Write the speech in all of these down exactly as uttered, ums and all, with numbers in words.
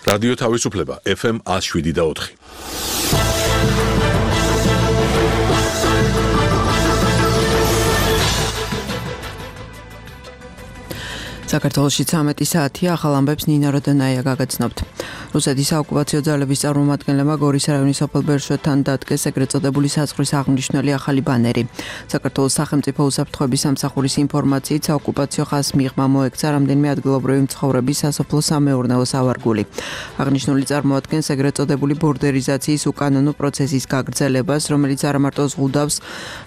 რადიო თავისუფლება ეფ ემ one oh seven და four. საქართველოში ცამეტი საათია, ახალ ამბებს ნინა როდონაია გაგაცნობთ. რუსეთის საოკუპაციო ძალების წარმომადგენლებმა გორის რაიონის სოფელ ბერშვეთთან დადგეს ეგრეთ წოდებული საზღვრის აღნიშნული ახალი ბანერი. საქართველოს სახელმწიფო უსაფრთხოების სამსახურის ინფორმაციით საოკუპაციო ხაზს მიღმა მოექცა რამდენიმე ადგილობრივი მცხოვრების სასოფლო სამეურნეო სავარგული. აღნიშნული წარმოადგენს ეგრეთ წოდებული ბორდერიზაციის უკანონო პროცესის გაგრძელებას, რომელიც არა მარტო ზღუდავს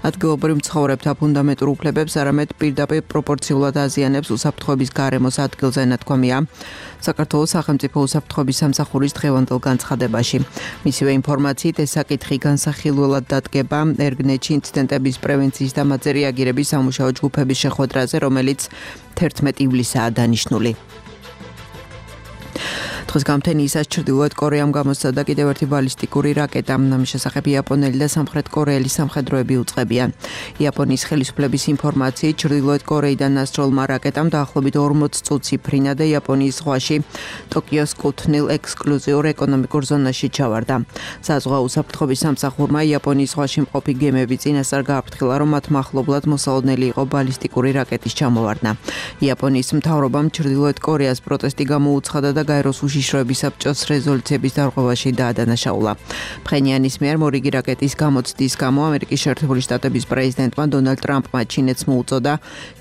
ადგილობრივ მცხოვრებთა ფუნდამენტურ უფლებებს, არამედ პირდაპირ პროპორციულად აზიანებს უსაფრთხოების გარემოს ადგილზე ნათქვამია საქართველოს სახელმწიფო უსაფრთხოების სამსახურის დღევანდელ განცხადებაში. მისივე ინფორმაციით ეს საკითხი განსახილველად დადგება ერგნეთში ინციდენტების პრევენციის და მათზე რეაგირების სამუშაო ჯგუფების შეხვედრაზე, რომელიც თერთმეტი ივლისაა დანიშნული. დღეს გამთენიისას ჩრდილოეთ კორეამ გამოსცადა კიდევ ერთი ბალისტიკური რაკეტა. ამის შესახებ იაპონელი და სამხრეთ კორეელი სამხედროები უწყებიან. იაპონიის ხელისუფლების ინფორმაციით ჩრდილოეთ კორეიდან ასროლმა რაკეტამ დაახლოებით ორმოც წუთს იფრინა და იაპონიის ზღვაში ტოკიოს კუთვნილ ექსკლუზიურ ეკონომიკურ ზონაში ჩავარდა. საზღვაო უსაფრთხოების სამსახურმა იაპონიის ზღვაში მყოფი გემები წინასწარ გააფრთხილა, რომ მათ მახლობლად მოსალოდნელი იყო ბალისტიკური რაკეტის ჩამოვარდნა. იაპონიის მთავრობამ ჩრდილოეთ კორეას პროტესტი გამოუცხადა და გაეროს უშიშროების საბჭოს რეზოლუციების დარღვევაში დაადანაშაულა. ფხენიანის მიერ მორიგი რაკეტის გამოცდის გამო ამერიკის შეერთებული შტატების პრეზიდენტმა დონალდ ტრამპმა ჩინეთს მოუწოდა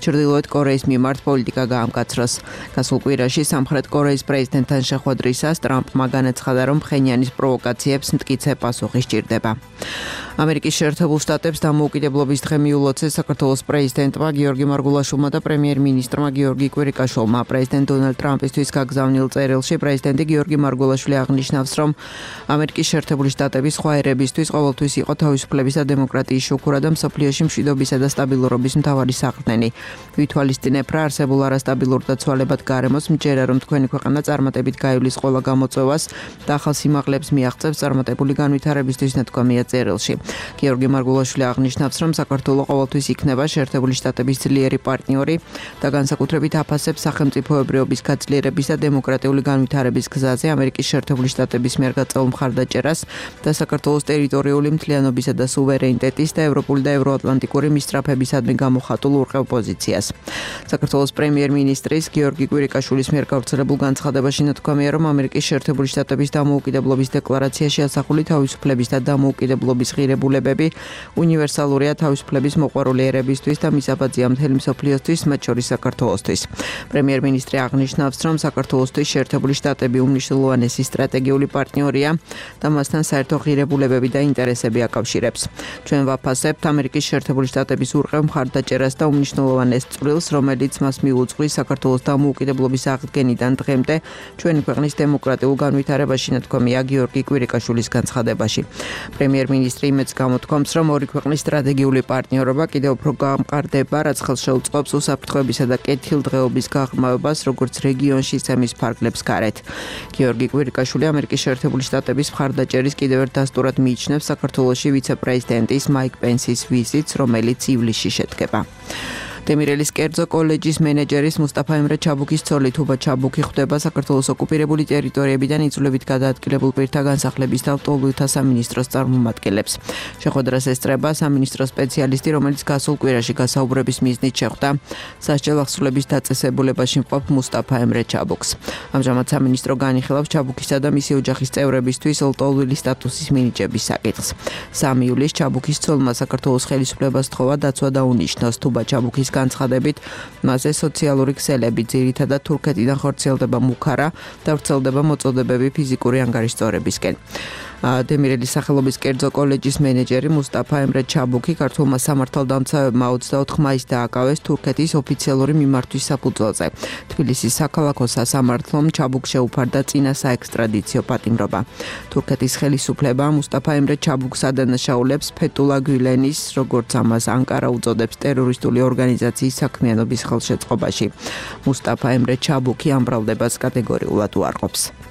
ჩრდილოეთ კორეის მიმართ პოლიტიკა გაამკაცროს. გასულ კვირაში სამხრეთ კორეის პრეზიდენტთან შეხვედრისას ტრამპმა განაცხადა, რომ ფხენიანის პროვოკაციებს მტკიცე პასუხი სჭირდება. ამერიკის შეერთებულ შტატებს დამოუკიდებლობის დღე მიულოცეს საქართველოს პრეზიდენტმა გიორგი მარგულაშვილმა და პრემიერ-მინისტრმა გიორგი კვირიკაშვილმა. პრეზიდენტ დონალდ ტრამპისთვის გაგზავნილ წერილში პრეზიდენტი გიორგი მარგულაშვილი აღნიშნავს, რომ ამერიკის შეერთებული შტატების სხვა ერებისთვის ყოველთვის იყო თავისუფლების და დემოკრატიის შუქურა და მსოფლიოში მშვიდობისა და სტაბილურობის მთავარი საყრდენი. ვითვალისწინებ რა არსებულ არასტაბილურ და ცვალებად გარემოს, მჯერა რომ თქვენი ქვეყანა წარმატებით გაივლის ყველა გამოწვევას და ახალ სიმაღლებს მიაღწევს წარმატებული განვითარებისთვის ნათქვამია წერილში. გიორგი მარგულაშვილი აღნიშნავს, რომ საქართველო ყოველთვის იქნება შეერთებული შტატების ძლიერი პარტნიორი და განსაკუთრებით აფასებს სახელმწიფოებრიობის გაძლიერების და დემოკრატიული განვითარების გზაზე ამერიკის შეერთებული შტატების მიერ გაწეულ მხარდაჭერას და საქართველოს ტერიტორიული მთლიანობისა და სუვერენიტეტის და ევროპული და ევროატლანტიკური მისწრაფებისადმი გამოხატულ ურყევ პოზიციას. საქართველოს პრემიერ-მინისტრის გიორგი კვირიკაშვილის მიერ გავრცელებულ განცხადებაში ნათქვამია, რომ ამერიკის შეერთებული შტატების დამოუკიდებლობის დეკლარაციაში ასახული თავისუფლების და დამოუკიდებლობის ღირებულებები უნივერსალურია თავისუფლების მოყვარული ერებისთვის და მისაბაძია მთელი მსოფლიოსთვის, მათ შორის საქართველოსთვის. პრემიერ-მინისტრი აღნიშნავს, რომ საქართველოსთვის შეერთებული შტატები უმნიშვნელოვანესი სტრატეგიული პარტნიორია და მასთან საერთო ღირებულებები და ინტერესები აკავშირებს. ჩვენ ვაფასებთ ამერიკის შეერთებული შტატების ურყევ მხარდაჭერას და უმნიშვნელოვანეს წვლილს, რომელიც მას მიუძღვის საქართველოს დამოუკიდებლობის აღდგენიდან დღემდე ჩვენი ქვეყნის დემოკრატიულ განვითარებაში, ნათქვამია გიორგი კვირიკაშვილის განცხადებაში. პრემიერ-მინისტრი იმედს გამოთქვამს, რომ ორი ქვეყნის სტრატეგიული პარტნიორობა კიდევ უფრო გამყარდება, რაც ხელს შეუწყობს უსაფრთხოებისა და კეთილდღეობის გაღრმავებას, როგორც რეგიონში, ისე მის ფარგლებს გარეთ. გიორგი კვირიკაშვილი ამერიკის შეერთებული შტატების მხარდაჭერის კიდევ ერთ დასტურად მიიჩნევს საქართველოში ვიცე-პრეზიდენტის მაიკ პენსის ვიზიტს, რომელიც ივლისში შედგება. დემირელის კერძო კოლეჯის მენეჯერის მუსტაფა ემრე ჩაბუქის ცოლი თუბა ჩაბუქი ხვდება საქართველოს ოკუპირებული ტერიტორიებიდან იძულებით გადაადგილებულ პირთა განსახლების და ლტოლვილთა სამინისტროს წარმომადგენლებს. შეხვედრას ესწრება სამინისტრო სპეციალისტი, რომელიც გასულ კვირაში გასაუბრების მიზნით შეხვდა სასჯელ ახსნილების დაწესებულებაში მყოფ მუსტაფა ემრე ჩაბუქს. ამჟამად სამინისტრო განიხილავს ჩაბუქისა და მისი ოჯახის წევრებისთვის ლტოლვილის სტატუსის მინიჭების საკითხს. სამი ივლისს ჩაბუქის ცოლმა საქართველოს ხელისუფლებას სთხოვა დაცვა დაუნიშნოს. თუბა ჩაბუქის განცხადებით, მასზე სოციალური ქსელები, ძირითადად თურქეთიდან ხორციელდება მუქარა და ვრცელდება მოწოდებები ფიზიკური ანგარიშწორებისკენ. დემირელის სახელობის კერძო კოლეჯის მენეჯერი მუსტაფა ემრე ჩაბუქი ქართულმა სამართალდამცავებმა ოცდაოთხ მაისს დააკავეს თურქეთის ოფიციალური მიმართვის საფუძველზე. თბილისის საქალაქო სასამართლომ ჩაბუქს შეუფარდა წინა საექსტრადიციო პატიმრობა. თურქეთის ხელისუფლება მუსტაფა ემრე ჩაბუქს ადანაშაულებს ფეთულა გვილენის, როგორც ამას ანკარა უწოდებს, ტერორისტული ორგანიზაციის საქმიანობის ხელშეწყობაში. მუსტაფა ემრე ჩაბუქი ამ ბრალდებას კატეგორიულად უარყოფს.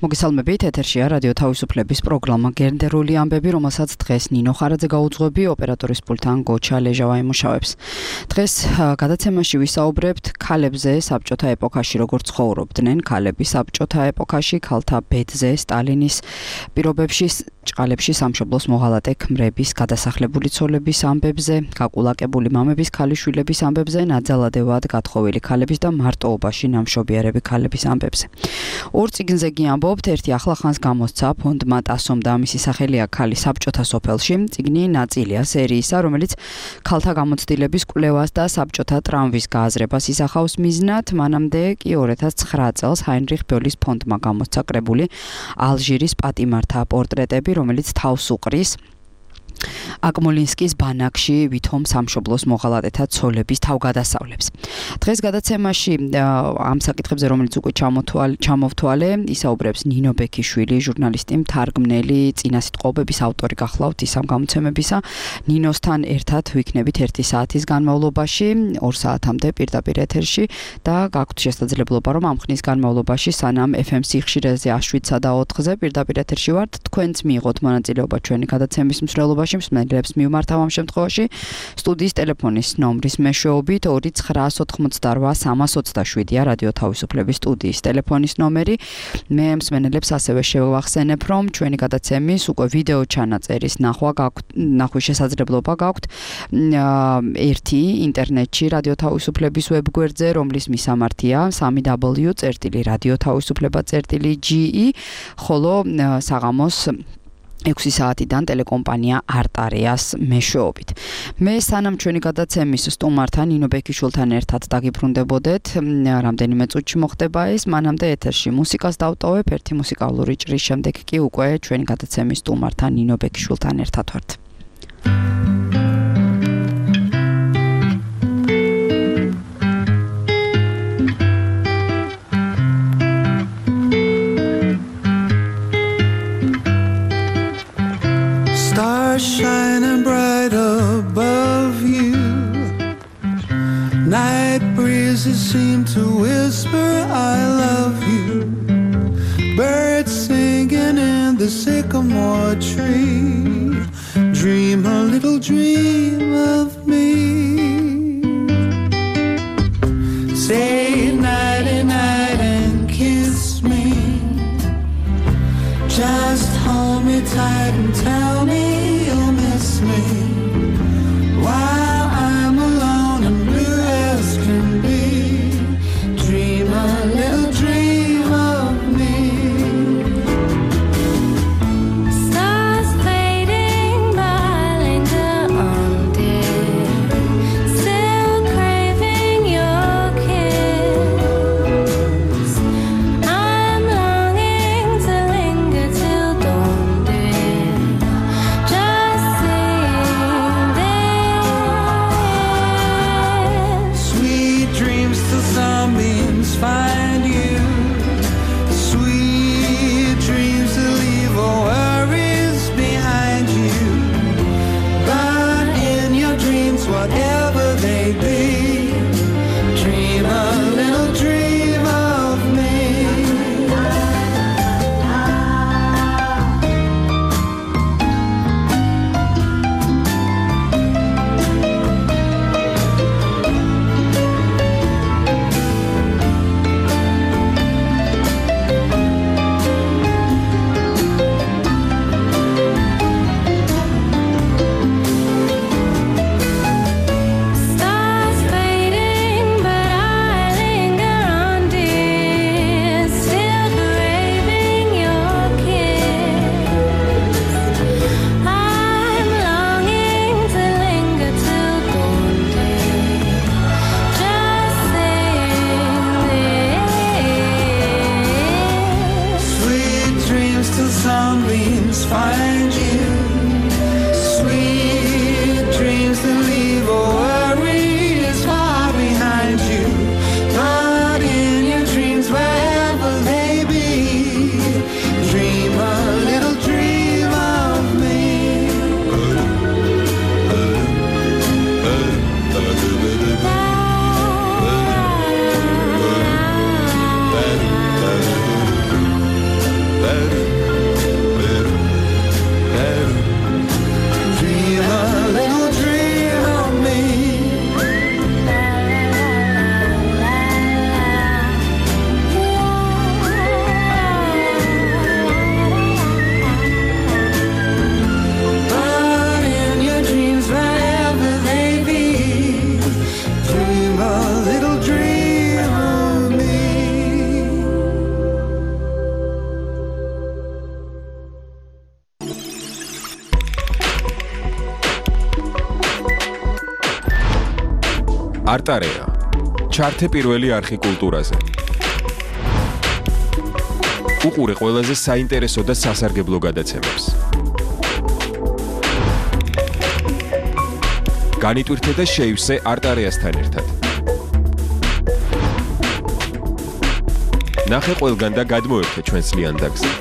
მოგესალმებით, ეთერშია რადიო თავისუფლების პროგრამა გენდერული ამბები, რომელსაც დღეს ნინო ხარაძე გაუძღვები, ოპერატორის პულტთან გოჩა ლეჟავა იმუშავებს. დღეს გადაცემაში ვისაუბრებთ ქალებზე საბჭოთა ეპოქაში როგორ ცხოვრობდნენ ქალები საბჭოთა ეპოქაში, ქალთა ბედზე, სტალინის პირობებში, ჭყალებში სამშობლოს მოღალატე ქმრების, გადასახლებული ცოლების ამბებზე, გაკულაკებული მამების, ქალიშვილების ამბებზე, ნაძალადევად გათხოვილი ქალების და მარტოობაში ნამშობიარები ქალების ამბებზე. ორ წიგნზე გიამბობთ, ერთი ახლახანს გამოსცა ფონდმა ტასომ და მისი სახელია ქალი საბჭოთა სოფელში. წიგნი ნაწილია სერიისა, რომელიც ქალთა გამოცდილების კვლევას და საბჭოთა ტრამვის გააზრებას ისახავს მიზნად. მანამდე კი ორ ათას ცხრა წელს ჰაინრიხ ბოლის ფონდმა გამოსცა კრებული ალჟირის პატიმართა პორტრეტები, რომელიც თავს უყრის აკმოლინსკის ბანაკში ვითომ სამშობლოს მოღალატეთა ცოლების თავგადასავლებს. დღეს გადაცემაში ამ საკითხებზე, რომელიც უკვე ჩამოვთვალე, ისაუბრებს ნინო ბექიშვილი, ჟურნალისტი, მთარგმნელი, წინასიტყვაობების ავტორი გახლავთ ის ამ გამოცემებისა. ნინოსთან ერთად ვიქნებით ერთი საათის განმავლობაში, ორ საათამდე პირდაპირ ეთერში და გაქვთ შესაძლებლობა, რომ ამ ხნის განმავლობაში, სანამ ეფ ემ სიხშირეზე შვიდსა და ოთხზე პირდაპირ ეთერში ვართ, თქვენც მიიღოთ მონაწილეობა ჩვენი გადაცემის მსვლელობაში. მსმენელებს მივმართავ ამ შემთხვევაში სტუდიის ტელეფონის ნომრის მეშვეობით ორი ცხრა ოთხმოცდარვა სამას ოცდაშვიდია რადიო თავისუფლების სტუდიის ტელეფონის ნომერი. მე მსმენელებს ასევე შევახსენებ, რომ ჩვენი გადაცემის უკვე ვიდეო ჩანაწერის ნახვა გაქვთ, ნახვის შესაძლებლობა გაქვთ ერთი ინტერნეტში რადიო თავისუფლების ვებგვერდზე, რომლის მისამართია სამი დაბლიუ წერტილი რადიო თავისუფლება წერტილი ჯი ი, ხოლო საღამოს ექვსი საათიდან ტელეკომპანია არტარეას მეშვეობით. მე სანამ ჩვენი გადაცემის სტუმართან ნინო ბექიშვილთან ერთად დაგიბრუნდებოდეთ, რამდენიმე წუთში მოხდება ეს, მანამდე ეთერში მუსიკას დავტოვებ, ერთი მუსიკალური ჭრის შემდეგ კი უკვე ჩვენი გადაცემის სტუმართან ნინო ბექიშვილთან ერთად ვართ. Shining bright above you, night breezes seem to whisper I love you, birds singing in the sycamore tree, dream a little dream of me, say nighty night and kiss me, just hold me tight and tell me me while I'm alone and blue as can be, dream a little dream of me. Stars fading but I linger on dear, still craving your kiss. I'm longing to linger till dawn dear, just find you, sweet dreams to leave all worries behind you, but in your dreams whatever they be, dream a little dream of me. Sunbeams find you, sweet dreams that leave all worries far behind you, but in your dreams wherever they be, dream a little dream of me. არტარეა. ჩართე პირველი არხი კულტურაზე. უყურე ყველაზე საინტერესო და სასარგებლო გადაცემებს. განიტვირთე და შეივსე არტარეასთან ერთად. ნახე ყველგან და გადმოერთე ჩვენს ლიანდაგზე.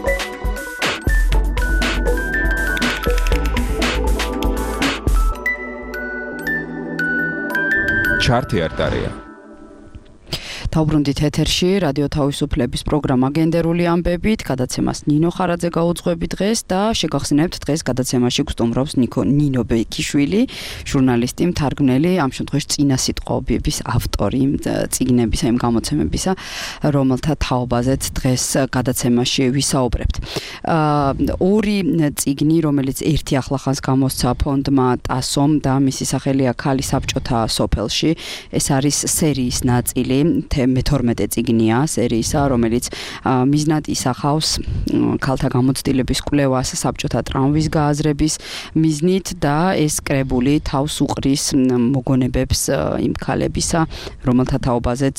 ჩართე არტარეა. თავბრუნდით ეთერში რადიო თავისუფლების პროგრამა გენდერული ამბებით, გადაცემას ნინო ხარაძე გაუძღვები დღეს და შეგახსენებთ დღეს გადაცემაში გსტუმრობს ნინო ბეკიშვილი, ჟურნალისტი, მთარგმნელი, ამ შემთხვევაში წინასიტყვების ავტორი წიგნებისა, იმ გამოცემებისა, რომელთა თაობაზეც დღეს გადაცემაში ვისაუბრებთ. ორი წიგნი, რომელიც ერთი ახლახანს გამოსცა ფონდმა ტასომ და მისი სახელია ქალი საბჭოთა სოფელში, ეს არის სერიის ნაწილი. მეთორმეტე წიგნია სერიისა, რომელიც მიზნად ისახავს ქალთა გამოცდილების კვლევას საბჭოთა ტრამვის გააზრების მიზნით და ეს კრებული თავს უყრის მოგონებებს იმ ქალებისა, რომელთა თაობაზეც,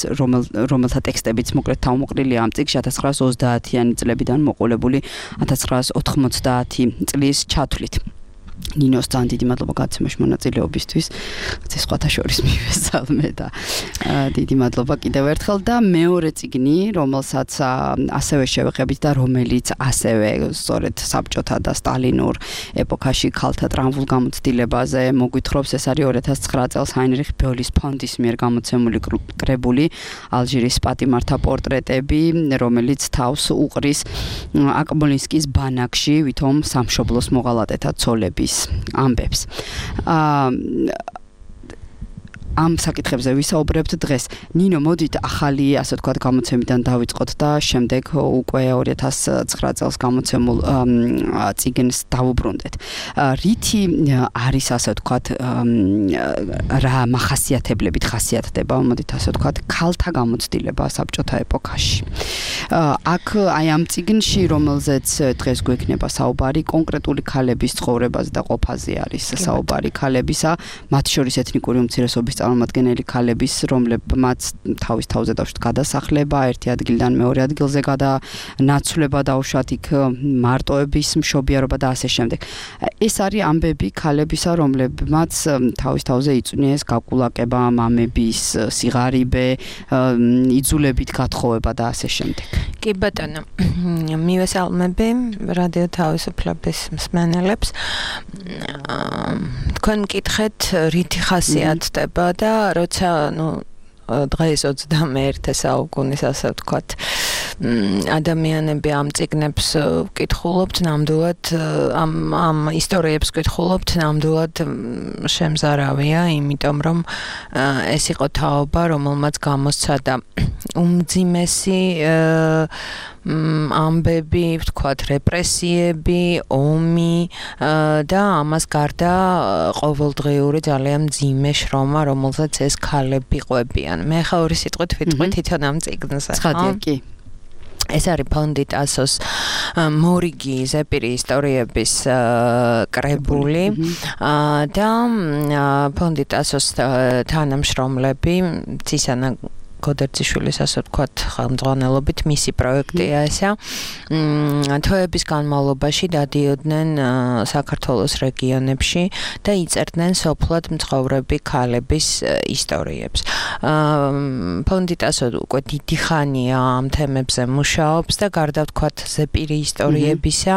რომელთა ტექსტებიც მოკლედ თავმოყრილია ამ წიგნში ათას ცხრაას ოცდაათიანი წლებიდან მოყოლებული ათას ცხრაას ოთხმოცდაათი წლის ჩათვლით. ნინოს ძალიან დიდი მადლობა გადაცემაში მონაწილეობისთვის. ეს სხვათა შორის მივესალმე და დიდი მადლობა კიდევ ერთხელ და მეორე წიგნი, რომელსაც ასევე შევეხებით და რომელიც ასევე სწორედ საბჭოთა და სტალინურ ეპოქაში ქალთა ტრამვულ გამოცდილებაზე მოგვითხრობს, ეს არის ორი ათას ცხრა წელს ჰაინრიხ ბოლის ფონდის მიერ გამოცემული კრებული ალჟირის პატიმართა პორტრეტები, რომელიც თავს უყრის აკმოლინსკის ბანაკში ვითომ სამშობლოს მოღალატეთა ცოლების ამბებს. ამ საკითხებზე ვისაუბრებთ დღეს. ნინო, მოდით ახალი, ასე ვთქვათ, გამოცემიდან დავიწყოთ და შემდეგ უკვე ორი ათას ცხრა წელს გამოცემულ წიგნს დავუბრუნდეთ. რითი არის, ასე ვთქვათ, რა მახასიათებლებით ხასიათდება, მოდით ასე ვთქვათ, ქალთა გამოცდილება საბჭოთა ეპოქაში. აქ აი ამ წიგნში, რომელზეც დღეს გვექნება საუბარი, კონკრეტული ქალების ცხოვრებაზე და ყოფაზე არის საუბარი ქალებისა, მათ შორის ეთნიკური უმცირესობის წარმომადგენელი ქალების, რომლებმაც თავის თავზე დავშვათ გადასახლება, ერთი ადგილიდან მეორე ადგილზე გადანაცვლება დაუშვათ იქ მარტოების მშობიარობა და ასე შემდეგ. ეს არის ამბები ქალებისა, რომლებმაც თავის თავზე იწვნიეს გაკულაკება, მამების სიღარიბე, იძულებით გათხოვება და ასე შემდეგ. კი ბატონო, მივესალმები რადიო თავისუფლების მსმენელებს. თქვენ მკითხეთ რითი ხასიათდება და როცა ნუ დღეს ოცდამეერთე საუკუნის ასე ვთქვათ ადამიანები ამ წიგნებს ვკითხულობთ, ნამდვილად ამ ამ ისტორიებს ვკითხულობთ, ნამდვილად შემზარავია, იმიტომ რომ ეს იყო თაობა, რომელმაც გამოსცა და უმძიმესი ამბები, ვთქვათ, რეპრესიები, ომი და ამას გარდა ყოველდღიური ძალიან მძიმე შრომა, რომელსაც ეს ქალები ყვებიან. მე ხა ორი სიტყვით ვიტყვი თვითონ ამ წიგნზე. ცხადია, კი. ეს არის ფონდი ტასოს მორიგი ზეპირი ისტორიების კრებული და ფონდი ტასოს თანამშრომლები ცისანა გოდერძიშვილის ასე ვთქვათ ხელმძღვანელობით მისი პროექტია ესა. თვეების განმავლობაში დადიოდნენ საქართველოს რეგიონებში და იწერდნენ სოფლად მცხოვრები ქალების ისტორიებს. ფონდი ტასო უკვე დიდი ხანია ამ თემებზე მუშაობს და გარდა ვთქვათ ზეპირი ისტორიებისა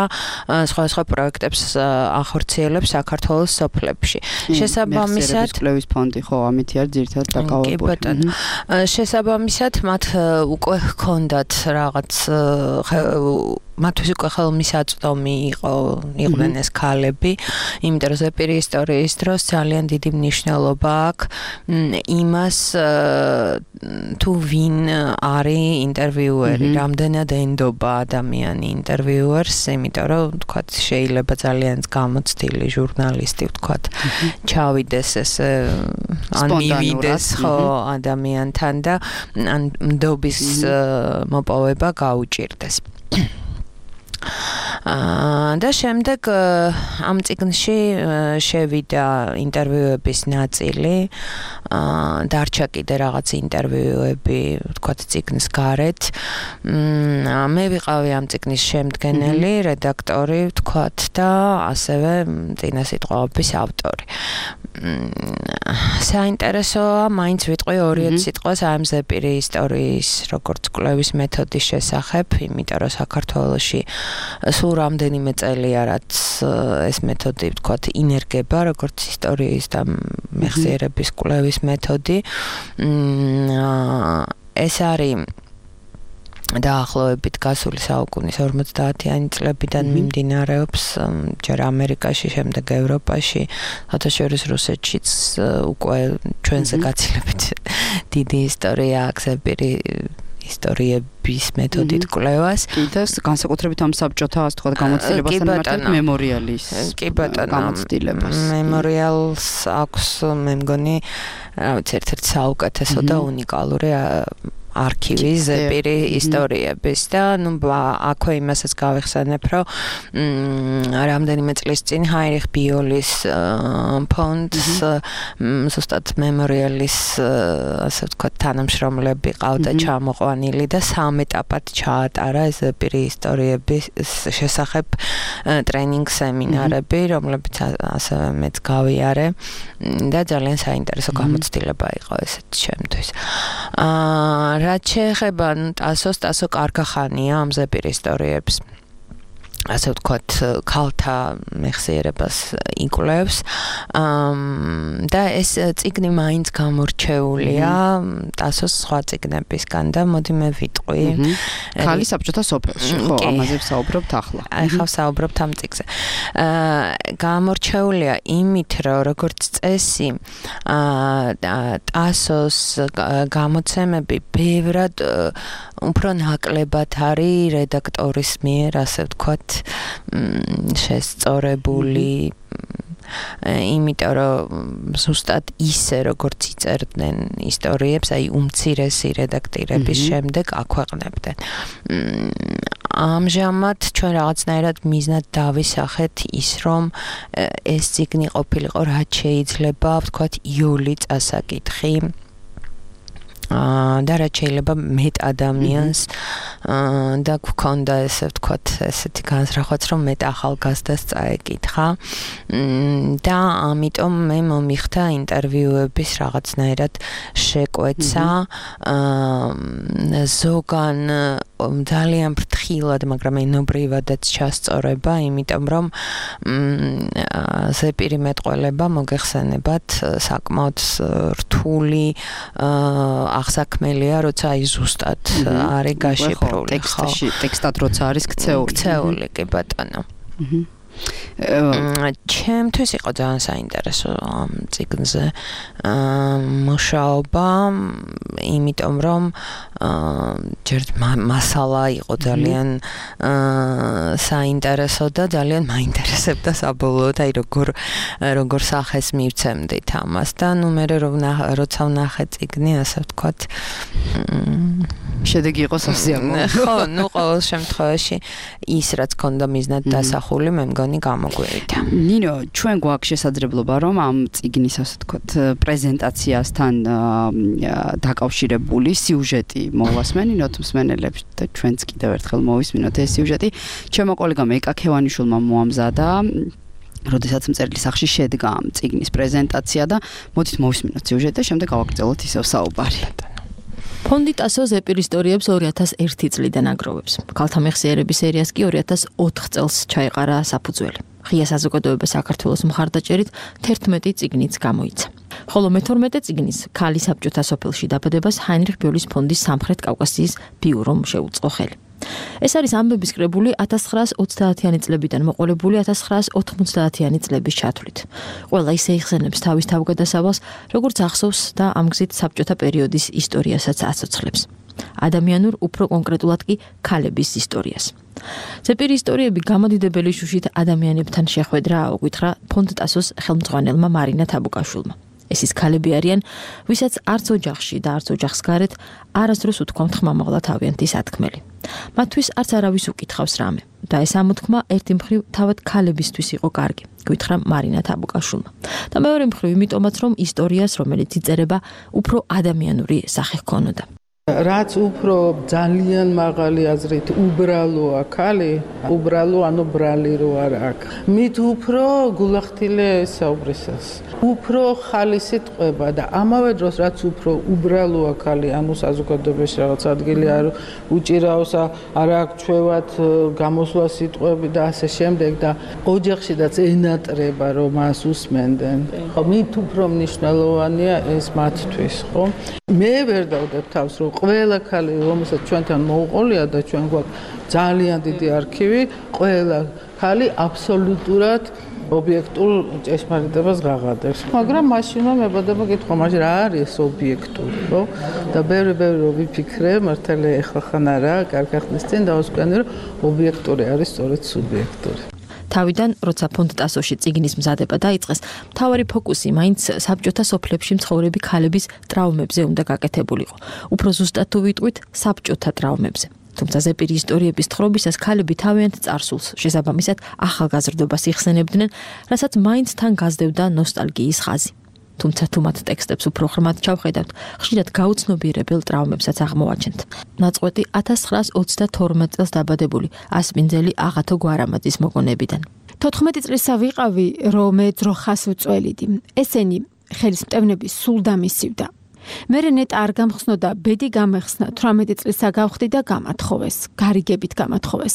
სხვადასხვა პროექტებს ახორციელებს საქართველოს სოფლებში. შესაბამისად კვლევის ფონდი ხო ამითი არის ძირითადად დაკავებული. შესაბამისად მათ უკვე ჰქონდათ რაღაც მათთვის უკვე ხელმისაწვდომი იყო იყვნენ ეს ქალები, იმიტომ რომ ზეპირი ისტორიის დროს ძალიან დიდი მნიშვნელობა აქვს იმას თუ ვინ არის ინტერვიუერი, რამდენად ენდობა ადამიანი ინტერვიუერს, იმიტომ რომ ვთქვათ შეიძლება ძალიან გამოცდილი ჟურნალისტი ვთქვათ ჩავიდეს ეს ან მივიდეს ხო ადამიანთან და ან ნდობის მოპოვება გაუჭირდეს. და შემდეგ ამ წიგნში შევიდა ინტერვიუების ნაწილი, დარჩა კიდე რაღაც ინტერვიუები, ვთქვათ, წიგნის გარეთ. მე ვიყავი ამ წიგნის შემდგენელი, რედაქტორი, ვთქვათ, და ასევე წინასიტყვაობის ავტორი. საინტერესოა, მაინც ვიტყვი ორი სიტყვას ამ ზეპირი ისტორიის როგორც კვლევის მეთოდის შესახებ, იმიტომ რომ საქართველოში სულ რამდენიმე წელია, რაც ეს მეთოდი, ვთქვათ, ინერგება, როგორც ისტორიის და მეხსიერების კვლევის მეთოდი. ეს არის დაახლოებით გასული საუკუნის ორმოცდაათიანი წლებიდან მიმდინარეობს, ჯერ ამერიკაში, შემდეგ ევროპაში, საერთაშორისო რუსეთშიც უკვე ჩვენზე გაცილებით დიდი ისტორია აქვს ზეპირი ისტორიების მეთოდით კვლევას. და განსაკუთრებით ამ საბჭოთა, ასე თქვა, გამოცდილებასთან მიმართებით მემორიალის გამოცდილებას. მემორიალს აქვს, მე მგონი, რა ვიცი, ერთ-ერთი საუკეთესო და უნიკალური არქივი ზეპირი ისტორიების და ნუ აქვე იმასაც გავიხსენებ, რომ რამდენიმე წლის წინ ჰაინრიხ ბიოლის ფონდს ზუსტად მემორიალის, ასე ვთქვათ, თანამშრომლები ყავდა ჩამოყვანილი და სამ ეტაპად ჩაატარა ეს ზეპირი ისტორიების შესახებ ტრენინგ სემინარები, რომლებიც ასევე მეც გავიარე და ძალიან საინტერესო გამოცდილება იყო ესეთი ჩემთვის. აა რაც შეეხება ტასოს, ტასო კარგახანია ამ ზეპირი ისტორიებს. ასე ვთქვათ, ქალთა მეხსიერებას იკვლევს. და ეს წიგნი მაინც გამორჩეულია ტასოს სხვა წიგნებისგან და მოდი მე ვიტყვი. ქალი საბჭოთა სოფელში, ხო, ამაზე ვსაუბრობთ ახლა. ახლა ვსაუბრობთ ამ წიგნზე. გამორჩეულია იმით, რომ როგორც წესი, ტასოს გამოცემები ბევრად უფრო ნაკლებად არის რედაქტორის მიერ, ასე ვთქვათ, შესწორებული, იმიტომ რომ ზუსტად ისე როგორც იწერდნენ ისტორიებს, აი უმცირესი რედაქტირების შემდეგ აქვეყნებდნენ. ამჟამად ჩვენ რაღაცნაირად მიზნად დავისახეთ ის, რომ ეს წიგნი ყოფილიყო რაც შეიძლება, ვთქვათ, იოლი წასაკითხი. და რაც შეიძლება მეტ ადამიანს და გვქონდა ესე ვთქვათ, ესეთი განსხვავებაც, რომ მეტ ახალგაზრდას წაეკითხა და ამიტომ მე მომიხდა ინტერვიუების რაღაცნაირად შეკვეცა ზოგან ძალიან ფრთხილად, მაგრამ ენობრივადაც ჩასწორება, იმიტომ რომ ზეპირი მეტყველება მოგეხსენებათ საკმაოდ რთული აღსაქმელია, როცა აი ზუსტად არის გაშიფრული, ტექსტში, ტექსტად როცა არის ქცეული. ქცეული, კი ბატონო. ჩემთვის იყო ძალიან საინტერესო ამ წიგნზე მუშაობა, იმიტომ რომ ჯერ მასალა იყო ძალიან საინტერესო და ძალიან მაინტერესებდა საბოლოოდ, აი როგორ როგორ სახეს მივცემდით ამას და ნუ მე როცა ვნახე წიგნი, ასე ვთქვათ, შედეგი იყო სასიამოვნო. ხო, ნუ ყოველ შემთხვევაში ის რაც ქონდა მიზნად დასახული, მე მგონი გამოგვივიდა. ნინო, ჩვენ გვაქვს შესაძლებლობა, რომ ამ წიგნის, ასე ვთქვათ, პრეზენტაციასთან დაკავშირებული სიუჟეტი მოვასმენინოთ მსმენელებს და ჩვენც კიდევ ერთხელ მოვისმინოთ ეს სიუჟეტი. ჩემო კოლეგამ ეკა ქევანიშვილმა მოამზადა, როდესაც მწერლის სახში შედგა ამ წიგნის პრეზენტაცია და მოდით მოვისმინოთ სიუჟეტი და შემდეგ გავაგრძელოთ ისევ საუბარი. ფონდი ტასო ზეპირ ისტორიებს ორი ათას ერთი წლიდან აგროვებს. ქალთა მეხსიერების სერიას კი ორი ათას ოთხ წელს ჩაეყარა საფუძველი. ღია საზოგადოება საქართველოს მხარდაჭერით თერთმეტი წიგნიც გამოიცა. ხოლო მეთორმეტე წიგნის ქალი საბჭოთა სოფელში დაბადებას ჰაინრიხ ბიოლის ფონდის სამხრეთ კავკასიის ბიურომ შეუწყო ხელი. ეს არის ამბების კრებული ათას ცხრაას ოცდაათიანი წლებიდან მოყოლებული ათას ცხრაას ოთხმოცდაათიანი წლების ჩათვლით. ყველა ისე იხსენებს თავის თავგადასავალს, როგორც ახსოვს და ამ გზით საბჭოთა პერიოდის ისტორიასაც აცოცხლებს. ადამიანურ, უფრო კონკრეტულად კი ქალების ისტორიას. ზეპირი ისტორიები გამოდიდებელი შუშით ადამიანებთან შეხვედრა აუგვითხრა ფონდ ტასოს ხელმძღვანელმა მარინა თაბუკაშვილმა. ეს ის ქალები არიან, ვისაც არც ოჯახში და არც ოჯახს გარეთ არასდროს უთქვამთ ხმამაღლა თავიანთი სათქმელი. მათთვის არც არავის უკითხავს რამე და ეს ამოთქმა ერთი მხრივ თავად ქალებისთვის იყო კარგი, გითხრა მარინა თაბუკაშვილმა. და მეორე მხრივ იმიტომაც რომ ისტორიას, რომელიც იწერება, უფრო ადამიანური სახე ჰქონოდა. რაც უფრო ძალიან მაღალი აზრით უბრალოა ქალი, უბრალო ანუ ბრალი რო არ აქვს. მით უფრო გულახდილე საუბრისას. უფრო ხალისით ყვება და ამავე დროს რაც უფრო უბრალოა ქალი, ანუ საზოგადოებაში რაღაც ადგილი არ უჭირავს, არ აქვს ჩვევად გამოსვლა სიტყვები და ასე შემდეგ და ოჯახშიდაც ენატრება რომ მას usmenden. ხო, მით უფრო მნიშვნელოვანია ეს მათთვის, ხო? მე ვერ დავდებ თავს რომ ყველა ქალი რომელსაც ჩვენთან მოუყოლია და ჩვენ გვაქვს ძალიან დიდი არქივი, ყველა ქალი აბსოლუტურად ობიექტურ ჭეშმარიტებას ღაღადებს. მაგრამ მაშინმა მებადება კითხვა, მაგრამ რა არის ობიექტური, ხო? და ბევრი ბევრი რო ვიფიქრე, მართალია ეხლა ხან არა, კარგი ხნის წინ დავსკვენი რომ ობიექტური არის სწორედ სუბიექტური. თავიდან, როცა ფონდ ტასოში წიგნის მზადება დაიწყეს, მთავარი ფოკუსი მაინც საბჭოთა სოფლებში მცხოვრები ქალების ტრავმებზე უნდა გაკეთებულიყო. უფრო ზუსტად თუ ვიტყვით, საბჭოთა ტრავმებზე. თუმცა ზეპირი ისტორიების თხრობისას ქალები თავიანთ წარსულს, შესაბამისად ახალგაზრდობას იხსენებდნენ, რასაც მაინც თან გაზრდებდა ნოსტალგიის ხაზი. თუმცა თუ მათ ტექსტებს უფრო ღრმად ჩავხედავთ, ხშირად გაუცნობიერებელ ტრავმებსაც აღმოვაჩენთ. ნაწყვეტი ათას ცხრაას ოცდათორმეტ წელს დაბადებული ასპინძელი აღათო გვარამაძის მოგონებიდან. თოთხმეტი წლისა ვიყავი, რომ მე ძროხას ვწველიდი. ესენი ხელის მტევნები სულ დამისივდა. მერე ნეტა არ გამხსნოდა, ბედი გამეხსნა, თვრამეტი წლისა გავხდი და გამათხოვეს, გარიგებით გამათხოვეს.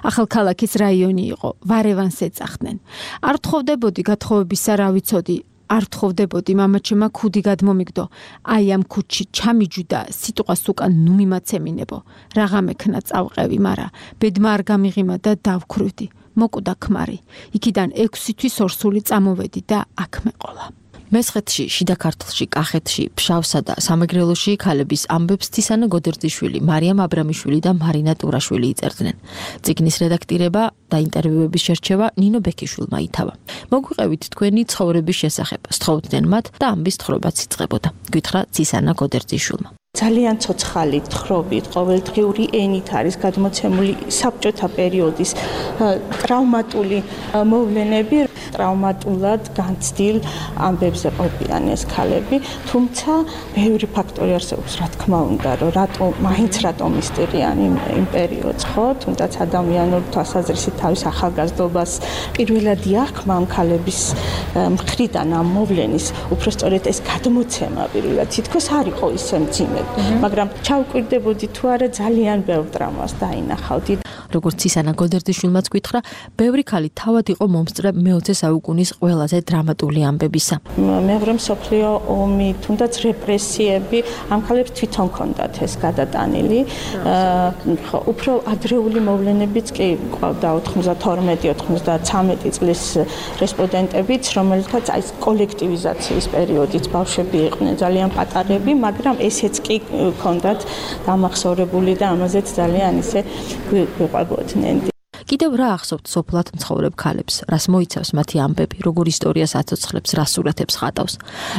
ახალქალაქის რაიონი იყო, ვარევანს ეძახდნენ. არ თხოვდებოდი გათხოვებისა რა ვიცოდი, არ თხოვდებოდი მამაჩემა ქუდი გადმომიგდო. აი ამ ქუდში ჩამიჯვიდა, სიტყვას უკან ნუ მიმაცემინებო. რაღა მექნა წავყევი, მარა ბედმა არ გამიღიმა და დავქრვდი. მოკუდა ქმარი. იქიდან ექვსი თვის ორსული წამოვედი და აქ მეყოლა. მესხეთში, შიდა ქართლში, კახეთში, ფშავსა და სამეგრელოში ქალების ამბებს თისანა გოდერძიშვილი, მარიამ აბრამიშვილი და მარინა ტურაშვილი იწერდნენ. წიგნის რედაქტირება და ინტერვიუების შერჩევა ნინო ბექიშვილმა ითავა. მოგვიყევით თქვენი ცხოვრების შესახებ, სთხოვდნენ მათ და ამბის თხრობაც იწყებოდა. გითხრა თისანა გოდერძიშვილმა. ძალიან ცოცხალი თხრობით, ყოველდღიური ენით არის გადმოცემული საბჭოთა პერიოდის ტრავმატული მოვლენები, ტრავმატულად განცდილ ამბებზე ყოფილან ეს ქალები, თუმცა ბევრი ფაქტორი არსებობს, რა თქმა უნდა, რომ რატო მაინც რატო მისტერიანი იმ პერიოდს, ხო? თუნდაც ადამიანური თვალსაზრისით თავის ახალგაზრდობას პირველად იახმა ამ ქალების მხრიდან ამ მოვლენის, უფრო სწორედ ეს გადმოცემა პირველად თითქოს არ იყო ისე მძიმე. მაგრამ ჩავკვირდებოდი თუ არა ძალიან ბევრ დრამას დაინახავდი. როგორც ისანა გოდერძიშვილმაც გითხრა, ბევრი ქალი თავად იყო მომსწრე მეოცე საუკუნის ყველაზე დრამატული ამბებისა. მეორე მსოფლიო ომი, თუნდაც რეპრესიები, ამ ქალებს თვითონ ჰქონდათ ეს გადატანილი. უფრო ადრეული მოვლენებიც კი ყავდა ოთხმოცდათორმეტი ოცდათვრამეტი წლის რესპონდენტებიც, რომელთაც აი კოლექტივიზაციის პერიოდიც ბავშვები იყვნენ ძალიან პატარები, მაგრამ ესეც კი ჰქონდათ დამახსოვრებული და ამაზეც ძალიან ისე გვიყვებოდნენ. კიდევ რა ახსოვთ სოფლად მცხოვრებ ქალებს, რას მოიცავს მათი ამბები, როგორ ისტორიას აცოცხლებს, რა სურათებს ხატავს.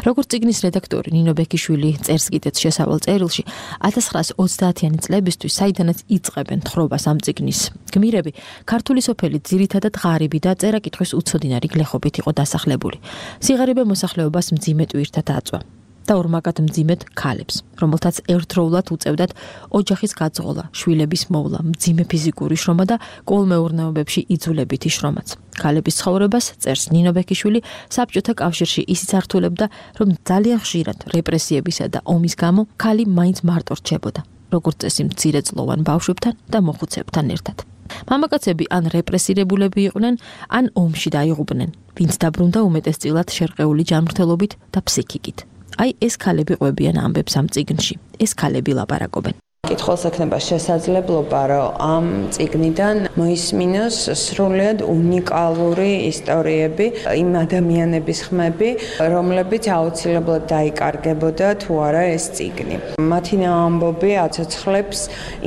როგორც წიგნის რედაქტორი ნინო ბექიშვილი წერს კიდეც შესავალ წერილში, ათას ცხრაას ოცდაათიანი წლებისთვის, საიდანაც იწყებენ თხრობას ამ წიგნის გმირები, ქართული სოფელი ძირითადად ღარიბი და წერა-კითხვის უცოდინარი გლეხობით იყო დასახლებული. სიღარიბე მოსახლეობას მძიმე ტვირთად აწვა. და ორმაგად მძიმედ ქალებს, რომელთაც ერთდროულად უწევდათ ოჯახის გაძღოლა, შვილების მოვლა, მძიმე ფიზიკური შრომა და კოლმეურნეობებში იძულებითი შრომაც. ქალების ცხოვრებას წერს ნინო ბექიშვილი საბჭოთა კავშირში ისიც ართულებდა, რომ ძალიან ხშირად რეპრესიებისა და ომის გამო ქალი მაინც მარტო რჩებოდა, როგორც წესი მცირეწლოვან ბავშვებთან და მოხუცებთან ერთად. მამაკაცები ან რეპრესირებულები იყვნენ, ან ომში დაიღუპნენ, ვინც დაბრუნდა უმეტესწილად შერყეული ჯანმრთელობით და ფსიქიკით. აი ეს ქალები ყვებიან ამბებს ამ წიგნში. ეს ქალები ლაპარაკობენ. კითხულს ექნება შესაძლებლობა, რომ ამ წიგნიდან მოისმინოს სრულიად უნიკალური ისტორიები, იმ ადამიანების ხმები, რომლებიც აუცილებლად დაიკარგებოდა თუ არა ეს წიგნი. მათი ამბობი აცოცხლებს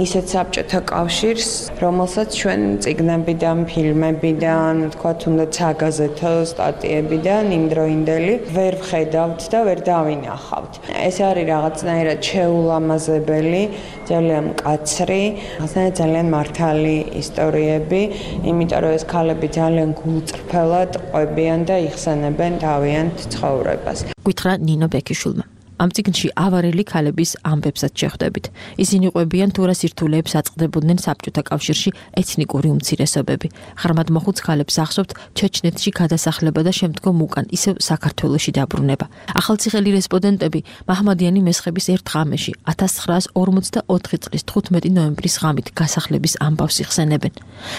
ისეთ საბჭოთა კავშირს, რომელსაც ჩვენ წიგნებიდან, ფილმებიდან, თქვათ, თუნდაც საგაზეთო სტატიებიდან იმდროინდელი ვერ ვხედავთ და ვერ დავინახავთ. ეს არის რაღაცნაირად შეულამაზებელი, ძალიან მკაცრი, რაღაცნაირად ძალიან მართალი ისტორიები, იმიტომ რომ ეს ქალები ძალიან გულწრფელად ყვებიან და იხსენებენ თავიანთ ცხოვრებას. გითხრა ნინო ბექიშვილმა. ამ წიგნში ავარელი ქალების ამბებსაც შეხვდებით. ისინი ყვებიან თუ რა სირთულეებს აწყდებოდნენ საბჭოთა კავშირში ეთნიკური უმცირესობები. ღრმად მოხუც ქალებს ახსოვთ ჩეჩნეთში გადასახლება და შემდგომ უკან ისევ საქართველოში დაბრუნება. ახალციხელი რესპონდენტები მაჰმადიანი მესხების ერთ ღამეში ათას ცხრაას ორმოცდაოთხი წლის თხუთმეტი ნოემბრის ღამით გასახლების ამბავს იხსენებენ.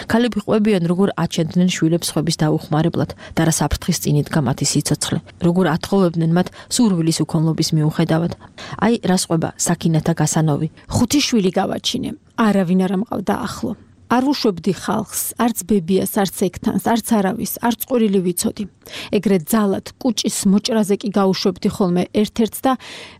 ქალები ყვებიან როგორ აჩენდნენ შვილებს ხვების დაუხმარებლად და რა საფრთხის წინ იდგა მათი სიცოცხლე. როგორ ათხოვებდნენ მათ სურვილის უქონლობის მიუხედავად. აი რას ყვება საკინათა გასანოვი. ხუთი შვილი გავაჩინე. არავინ არ ამყავდა ახლო. არ ვუშვებდი ხალხს, არც ბებიას, არც ექთანს, არც არავის, არც ყვირილი ვიცოდი. ეგრეთ ძალად კუჭის მოჭრაზე კი გაუშვებდი ხოლმე ერთ-ერთს და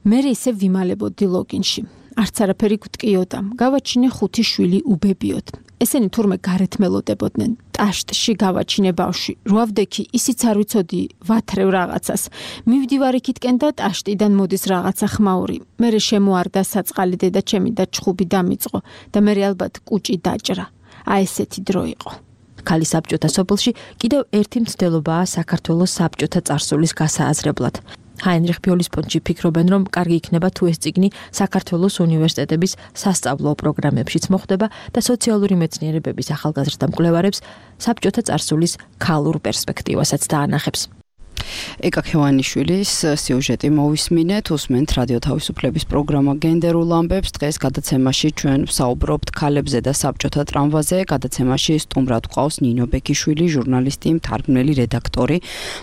მე ისე ვიმალებოდი ლოგინში. არც არაფერი გვტკიოდა. გავაჩინე ხუთი შვილი უბებიოდ. ესენი თურმე გარეთ მელოდებოდნენ. ტაშტში გავაჩინე ბავში. რვავდექი ისიც არ ვიცოდი ვათრევ რაღაცას. მივდივარ იქითკენ და ტაშტიდან მოდის რაღაცა ხმაური. მერე შემოარდა საწყალი დედა ჩემი და ჩხუბი დამიწყო და მერე ალბათ კუჭი დაჭრა. აი ესეთი დრო იყო. ქალი საბჭოთა სოფელში კიდევ ერთი მცდელობაა საქართველოს საბჭოთა წარსულის გასააზრებლად. ჰაინრიხ ბიოლისპონტში ფიქრობენ, რომ კარგი იქნება თუ ეს წიგნი საქართველოს უნივერსიტეტების სასწავლო პროგრამებშიც მოხვდება და სოციალური მეცნიერებების ახალგაზრდა მკვლევარებს საბჭოთა წარსულის ქალურ პერსპექტივასაც დაანახებს. ეკა ქევანიშვილის სიუჟეტი მოვისმინეთ, უსმენთ რადიო თავისუფლების პროგრამა გენდერულ ამბებს. დღეს გადაცემაში ჩვენ ვსაუბრობთ ქალებზე და საბჭოთა ტრამვაზე. გადაცემაში სტუმრად გვყავს ნინო ბექიშვილი, ჟურნალისტი, მთარგმნელი, რედაქტორი.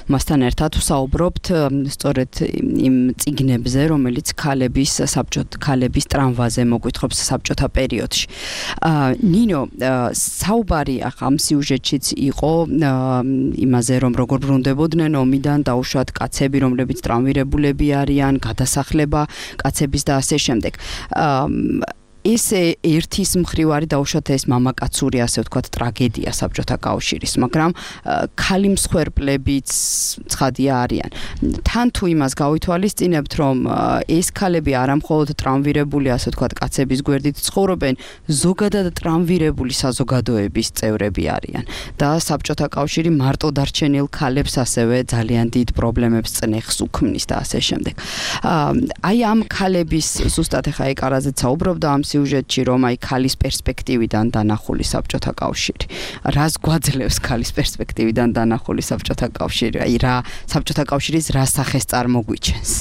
მასთან ერთად ვსაუბრობთ სწორედ იმ წიგნებზე, რომელიც ქალების საბჭოთა ქალების ტრამვაზე მოგვითხრობს საბჭოთა პერიოდში. ნინო, საუბარი ახლა ამ სიუჟეტშიც იყო იმაზე, რომ როგორ ბრუნდებოდნენ ომიდან დაუშვათ კაცები, რომლებიც ტრამვირებულები არიან, გადასახლება კაცების და ასე შემდეგ. ეს ერთის მხრივ არის დაუშვათ ეს მამაკაცური, ასე ვთქვათ, ტრაგედია საბჭოთა კავშირის, მაგრამ ქალი მსხვერპლებიც ცხადია არიან. თან თუ იმას გავითვალისწინებთ, რომ ეს ქალები არამხოლოდ ტრამვირებული, ასე ვთქვათ, კაცების გვერდით ცხოვრობენ, ზოგადად ტრამვირებული საზოგადოების წევრები არიან და საბჭოთა კავშირი მარტო დარჩენილ ქალებს ასევე ძალიან დიდ პრობლემებს წნეხს უქმნის და ასე შემდეგ. აი ამ ქალების ზუსტად ახლა ეკარაზეც საუბრობდა ამ სიუჟეტში, რომ აი ქალის პერსპექტივიდან დანახული საბჭოთა კავშირი. რას გვაძლევს ქალის პერსპექტივიდან დანახული საბჭოთა კავშირი? აი რა საბჭოთა კავშირის რა სახეს წარმოგვიჩენს?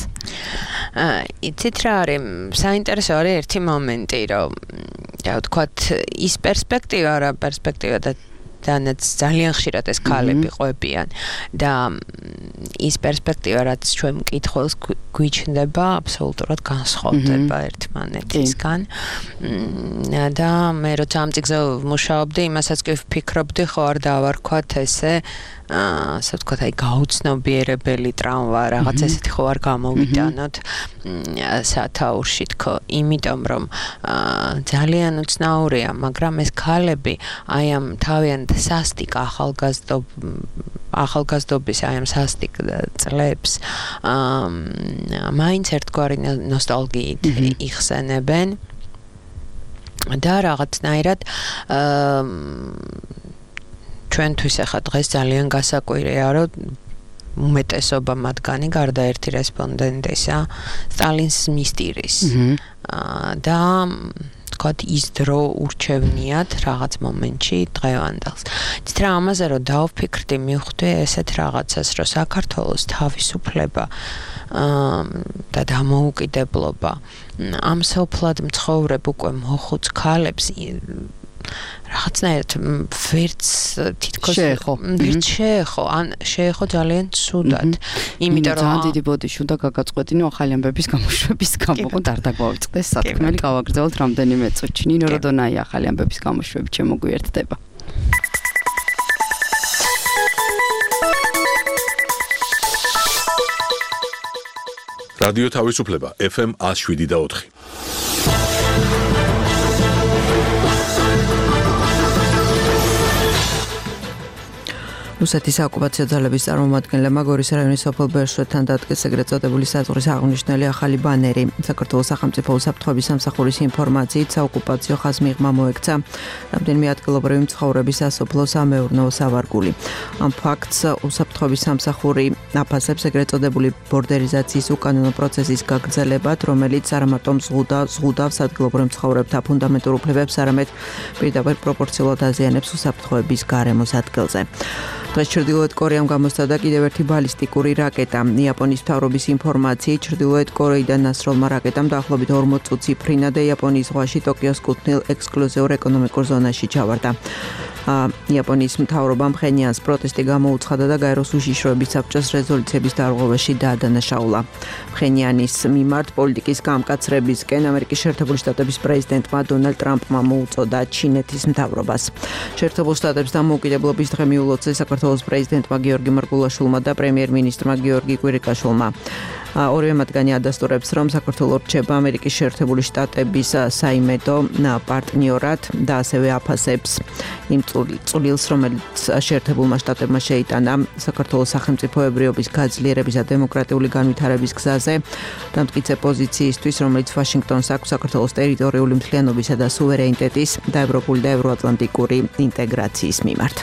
იცით რა არის, საინტერესო არის ერთი მომენტი, რომ რა ვთქვათ, ის პერსპექტივა რა პერსპექტივა და დანაც ძალიან ხშირად ეს ქალები ყვებიან და ის პერსპექტივა რაც ჩვენ მკითხველს გვიჩნდება აბსოლუტურად განსხვავდება ერთმანეთისგან და მე როცა ამ წიგნზე ვმუშაობდი იმასაც კი ვფიქრობდი ხო არ დავარქვათ ესე ასე ვთქვათ აი გაუცნობიერებელი ტრამვა რაღაც ესეთი ხო არ გამოვიტანოთ სათაურში თქო იმიტომ რომ ძალიან უცნაურია მაგრამ ეს ქალები აი ამ თავიანთ სასტიკ ახალგაზრდობ ახალგაზრდობის აი ამ სასტიკ წლებს მაინც ერთგვარი ნოსტალგიით იხსენებენ და რაღაცნაირად ჩვენთვის ახლა დღეს ძალიან გასაკვირია რომ უმეტესობა მათგანი გარდა ერთი რესპონდენტისა სტალინს მისტირის და თქვათ ის დრო ურჩევნიათ რაღაც მომენტში დღევანდელს. იცით რა ამაზე რომ დავფიქრდი მივხვდი ესეთ რაღაცას რომ საქართველოს თავისუფლება და დამოუკიდებლობა ამ სოფლად მცხოვრებ უკვე მოხუც ქალებს რაღაცნაირად ვერც თითქოს შეეხო. ვერც შეეხო, ან შეეხო ძალიან ცუდად. იმიტომ რომ ძალიან დიდი ბოდიში უნდა გაგაწყვეტინო ახალი ამბების გამოშვების გამო და არ დაგვავიწყდეს სათქმელი გავაგრძელოთ რამდენიმე წუთში. ნინო როდონაი ახალი ამბების გამოშვებით შემოგვიერთდება. რადიო თავისუფლება ეფ ემ one oh seven და four. რუსეთის ოკუპაციო ძალების წარმომადგენლებმა გორის რაიონის სოფელ ბერშვეთთან დადგეს ეგრეთ წოდებული საზღვრის აღნიშნული ახალი ბანერი. საქართველოს სახელმწიფო უსაფრთხოების სამსახურის ინფორმაციით საოკუპაციო ხაზმიღმა მოექცა რამდენიმე ადგილობრივი მცხოვრების სასოფლო სამეურნეო სავარგული. ამ ფაქტს უსაფრთხოების სამსახური აფასებს ეგრეთ წოდებული ბორდერიზაციის უკანონო პროცესის გაგრძელებად, რომელიც არა მარტო ზღუდავს ადგილობრივ მცხოვრებთა ფუნდამენტურ უფლებებს, არამედ პირდაპირ პროპორციულად აზიანებს უსაფრთხოების გარემოს ადგილზე. დღეს ჩრდილოეთ კორეამ გამოსცადა კიდევ ერთი ბალისტიკური რაკეტა. იაპონიის მთავრობის ინფორმაციით ჩრდილოეთ კორეიდან ნასროლმა რაკეტამ დაახლოებით ორმოც წუთს იფრინა და იაპონიის ზღვაში ტოკიოს კუთვნილ ექსკლუზიურ ეკონომიკურ ზონაში ჩავარდა. იაპონიის მთავრობამ ფხენიანს პროტესტი გამოუცხადა და გაეროს უშიშროების საბჭოს რეზოლუციების დარღვევაში დაადანაშაულა. ფხენიანის მიმართ პოლიტიკის გამკაცრებისკენ ამერიკის შეერთებული შტატების პრეზიდენტმა დონალდ ტრამპმა მოუწოდა ჩინეთის მთავრობას. შეერთებულ შტატების დამოუკიდებლობის დღე მიულოცა საქართველოს პრეზიდენტმა გიორგი მარგულაშვილმა და პრემიერ-მინისტრმა გიორგი კვირიკაშვილმა. ორივე მათგანი ადასტურებს, რომ საქართველო რჩება ამერიკის შეერთებული შტატების საიმედო პარტნიორად და ასევე აფასებს იმ წვლილს, რომელიც შეერთებულმა შტატებმა შეიტანა საქართველოს სახელმწიფოებრიობის გაძლიერების და დემოკრატიული განვითარების გზაზე და მტკიცე პოზიციისთვის, რომელიც ვაშინგტონს აქვს საქართველოს ტერიტორიული მთლიანობისა და სუვერენიტეტის და ევროპული და ევროატლანტიკური ინტეგრაციის მიმართ.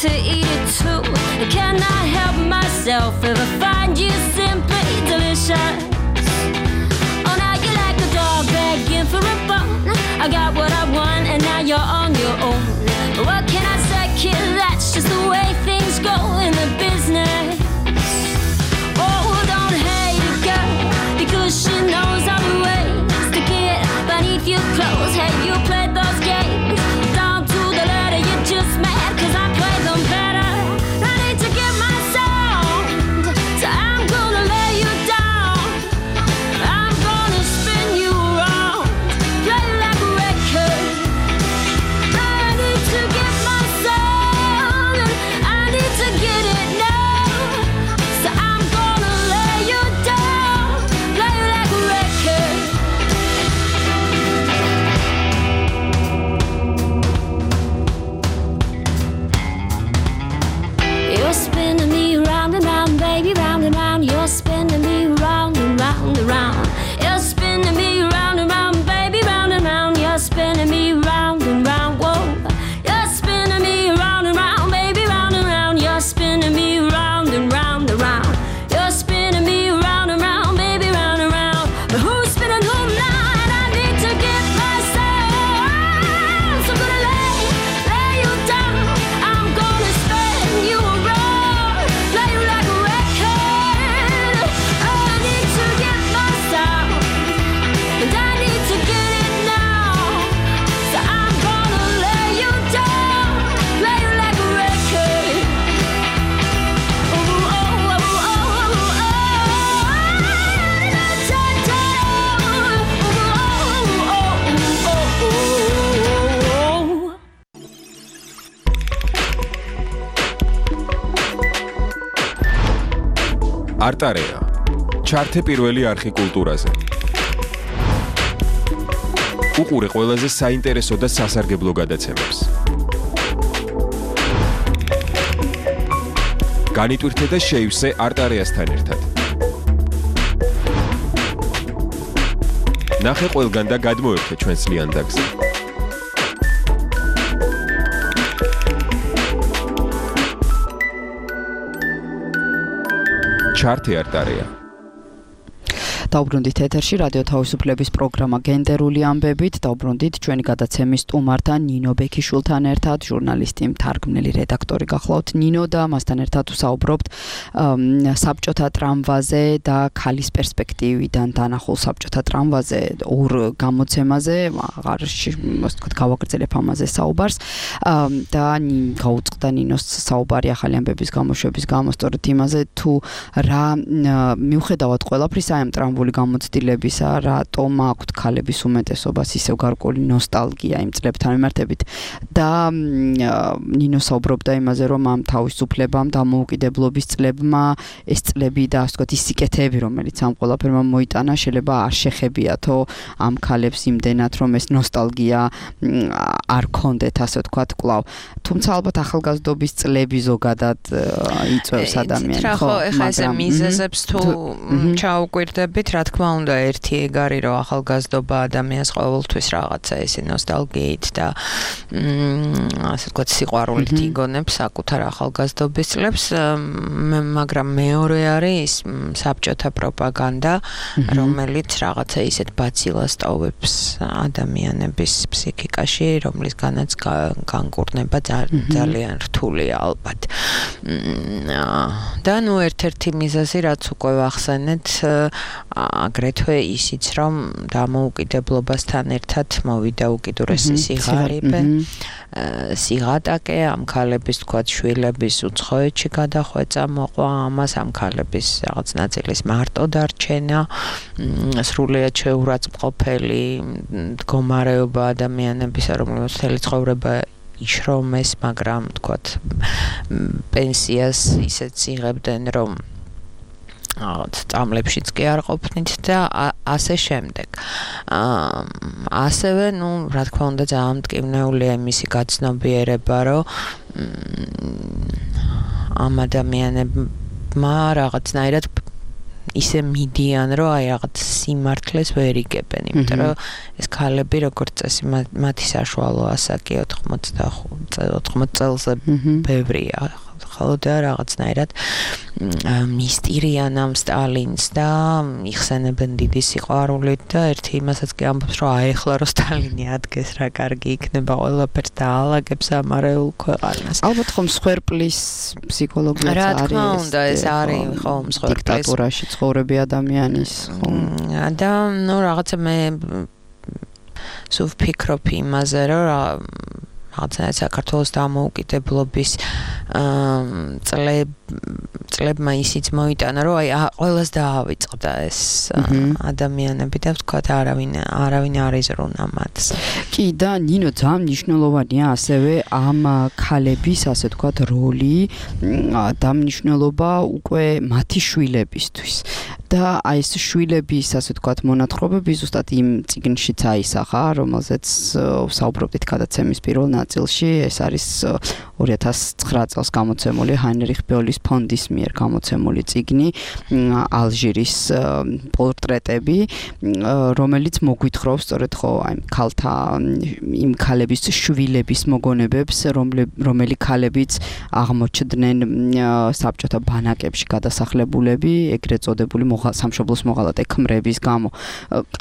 To eat it too. I cannot help myself if I find you simply delicious. Oh, now you're like a dog begging for a bone. I got what I want and now you're on your own. What can I say, kid? That's just the way things go in the business. Oh, don't hate a girl because she knows all the ways to get beneath your clothes. Hey, you played those games down to the letter. You're just mad cause I played them better. I need to get my sound, so I'm gonna lay you down. I'm gonna spin you around, play like a record. I need to get my sound, I need to get it now. არტარეა. ჩართე პირველი არხი კულტურაზე. უყურე ყველაზე საინტერესო და სასარგებლო გადაცემებს. განიტვირთე და შეივსე არტარეასთან ერთად. ნახე ყველგან და გადმოერთე ჩვენს ლიანდაგზე. ჩართე არტარეა. დაუბრუნდით ეთერში რადიო თავისუფლების პროგრამა გენდერული ამბებით. დაუბრუნდით ჩვენი გადაცემის სტუმართან ნინო ბექიშვილთან ერთად, ჟურნალისტი, მთარგმნელი, რედაქტორი გახლავთ ნინო და მასთან ერთად ვსაუბრობთ საბჭოთა ტრამვაზე და ქალის პერსპექტივიდან დანახულ საბჭოთა ტრამვაზე, ორ გამოცემაზე, აღარ ასე ვთქვათ, გავაგრძელებ ამაზე საუბარს და გაუწყდა ნინოს საუბარი ახალი ამბების გამოშვების გამო სწორედ იმაზე თუ რა მიუხედავად ყველაფრისა ამ ტრამვაზე გამოცდილებისა, რატომ აქვთ ქალების უმეტესობას ისევ გარკვეული ნოსტალგია იმ წლებთან მიმართებით და ნინო საუბრობდა იმაზე, რომ ამ თავისუფლებამ და დამოუკიდებლობის წლებმა ეს წლები და ასე ვთქვათ ის სიკეთეები, რომელიც ამ ყველაფერმა მოიტანა, შეიძლება არ შეხებიათო ამ ქალებს იმდენად, რომ ეს ნოსტალგია არ ქონდეთ, ასე ვთქვათ, კვლავ. თუმცა ალბათ ახალგაზრდობის წლები ზოგადად იწვევს ადამიანს, ხო? ეხლა ეს მიზეზებს თუ ჩაუკვირდებით, რა თქმა უნდა, ერთი ეგარი რომ ახალგაზრდობა ადამიანს ყოველთვის რაღაცა ესე ნოსტალგიით და ასე ვთქვათ სიყვარულით იგონებს საკუთარ ახალგაზრდობის წლებს, მაგრამ მეორე არის საბჭოთა პროპაგანდა, რომელიც რაღაცა ისეთ ბაცილას ტოვებს ადამიანების ფსიქიკაში, რომლისგანაც განკურნება ძალიან რთულია ალბათ. და ნუ ერთ-ერთი მიზეზი, რაც უკვე ვახსენეთ, აგრეთვე ისიც, რომ დამოუკიდებლობასთან ერთად მოვიდა უკიდურესი სიღარიბე, სიღატაკე, ამ ქალების თქვათ შვილების უცხოეთში გადახვეწა მოყვა, ამას ამ ქალების რაღაც ნაწილის მარტო დარჩენა, სრულიად შეურაცხმყოფელი მდგომარეობა ადამიანებისა, რომლებიც მთელი ცხოვრება იშრომეს, მაგრამ თქვათ პენსიას ისეც იღებდნენ, რომ რაღაც წამლებშიც კი არ ყოფნით და ასე შემდეგ. ასევე, ну, რა თქმა უნდა, ძალიან მტკივნეულია მისი გაცნობიერება, რომ ამ ადამიანებმა რაღაცნაირად ისე მიდიან, რომ აი რაღაც სიმართლეს ვერ იგებენ, იმიტომ რომ ეს ქალები როგორც წესი მათი საშუალო ასაკი ოთხმოც წელზე ბევრია. ხოლო და რაღაცნაირად მისტირიან ამ სტალინს და იხსენებენ დიდი სიყვარულით და ერთი იმასაც კი ამბობს, რომ აი ახლა რომ სტალინი ადგეს, რა კარგი იქნება, ყველაფერს დაალაგებს ამარეულ ქვეყანას. ალბათ ხომ მსხვერპლის ფსიქოლოგიაც არის. რა თქმა უნდა, ეს არის ხომ მსხვერპლის დიქტატურაში ცხოვრები ადამიანის, ხომ. და ნუ რაღაცა მე სულ ვფიქრობ იმაზე, რომ რაღაცნაირად საქართველოს დამოუკიდებლობის წლებმა ისიც მოიტანა, რომ აი ყველას დაავიწყდა ეს ადამიანები და ვთქვათ არავინ არავინ არ იზრუნა მათს. კი და ნინო ძალიან მნიშვნელოვანია ასევე ამ ქალების ასე ვთქვათ როლი და მნიშვნელობა უკვე მათი შვილებისთვის. და აი ეს შვილების ასე ვთქვათ მონათხრობები ზუსტად იმ წიგნშიც აისახა, რომელზეც ვსაუბრობდით გადაცემის პირველ ნაწილში, ეს არის ორი ათას ცხრა წელს გამოცემული ჰაინრიხ ბოლის ფონდის მიერ გამოცემული წიგნი ალჟირის პორტრეტები, რომელიც მოგვითხრობს სწორედ ხო აი ქალთა იმ ქალების შვილების მოგონებებს, რომელი ქალებიც აღმოჩნდნენ საბჭოთა ბანაკებში გადასახლებულები, ეგრეთ წოდებული სამშობლოს მოღალატე ქმრების გამო.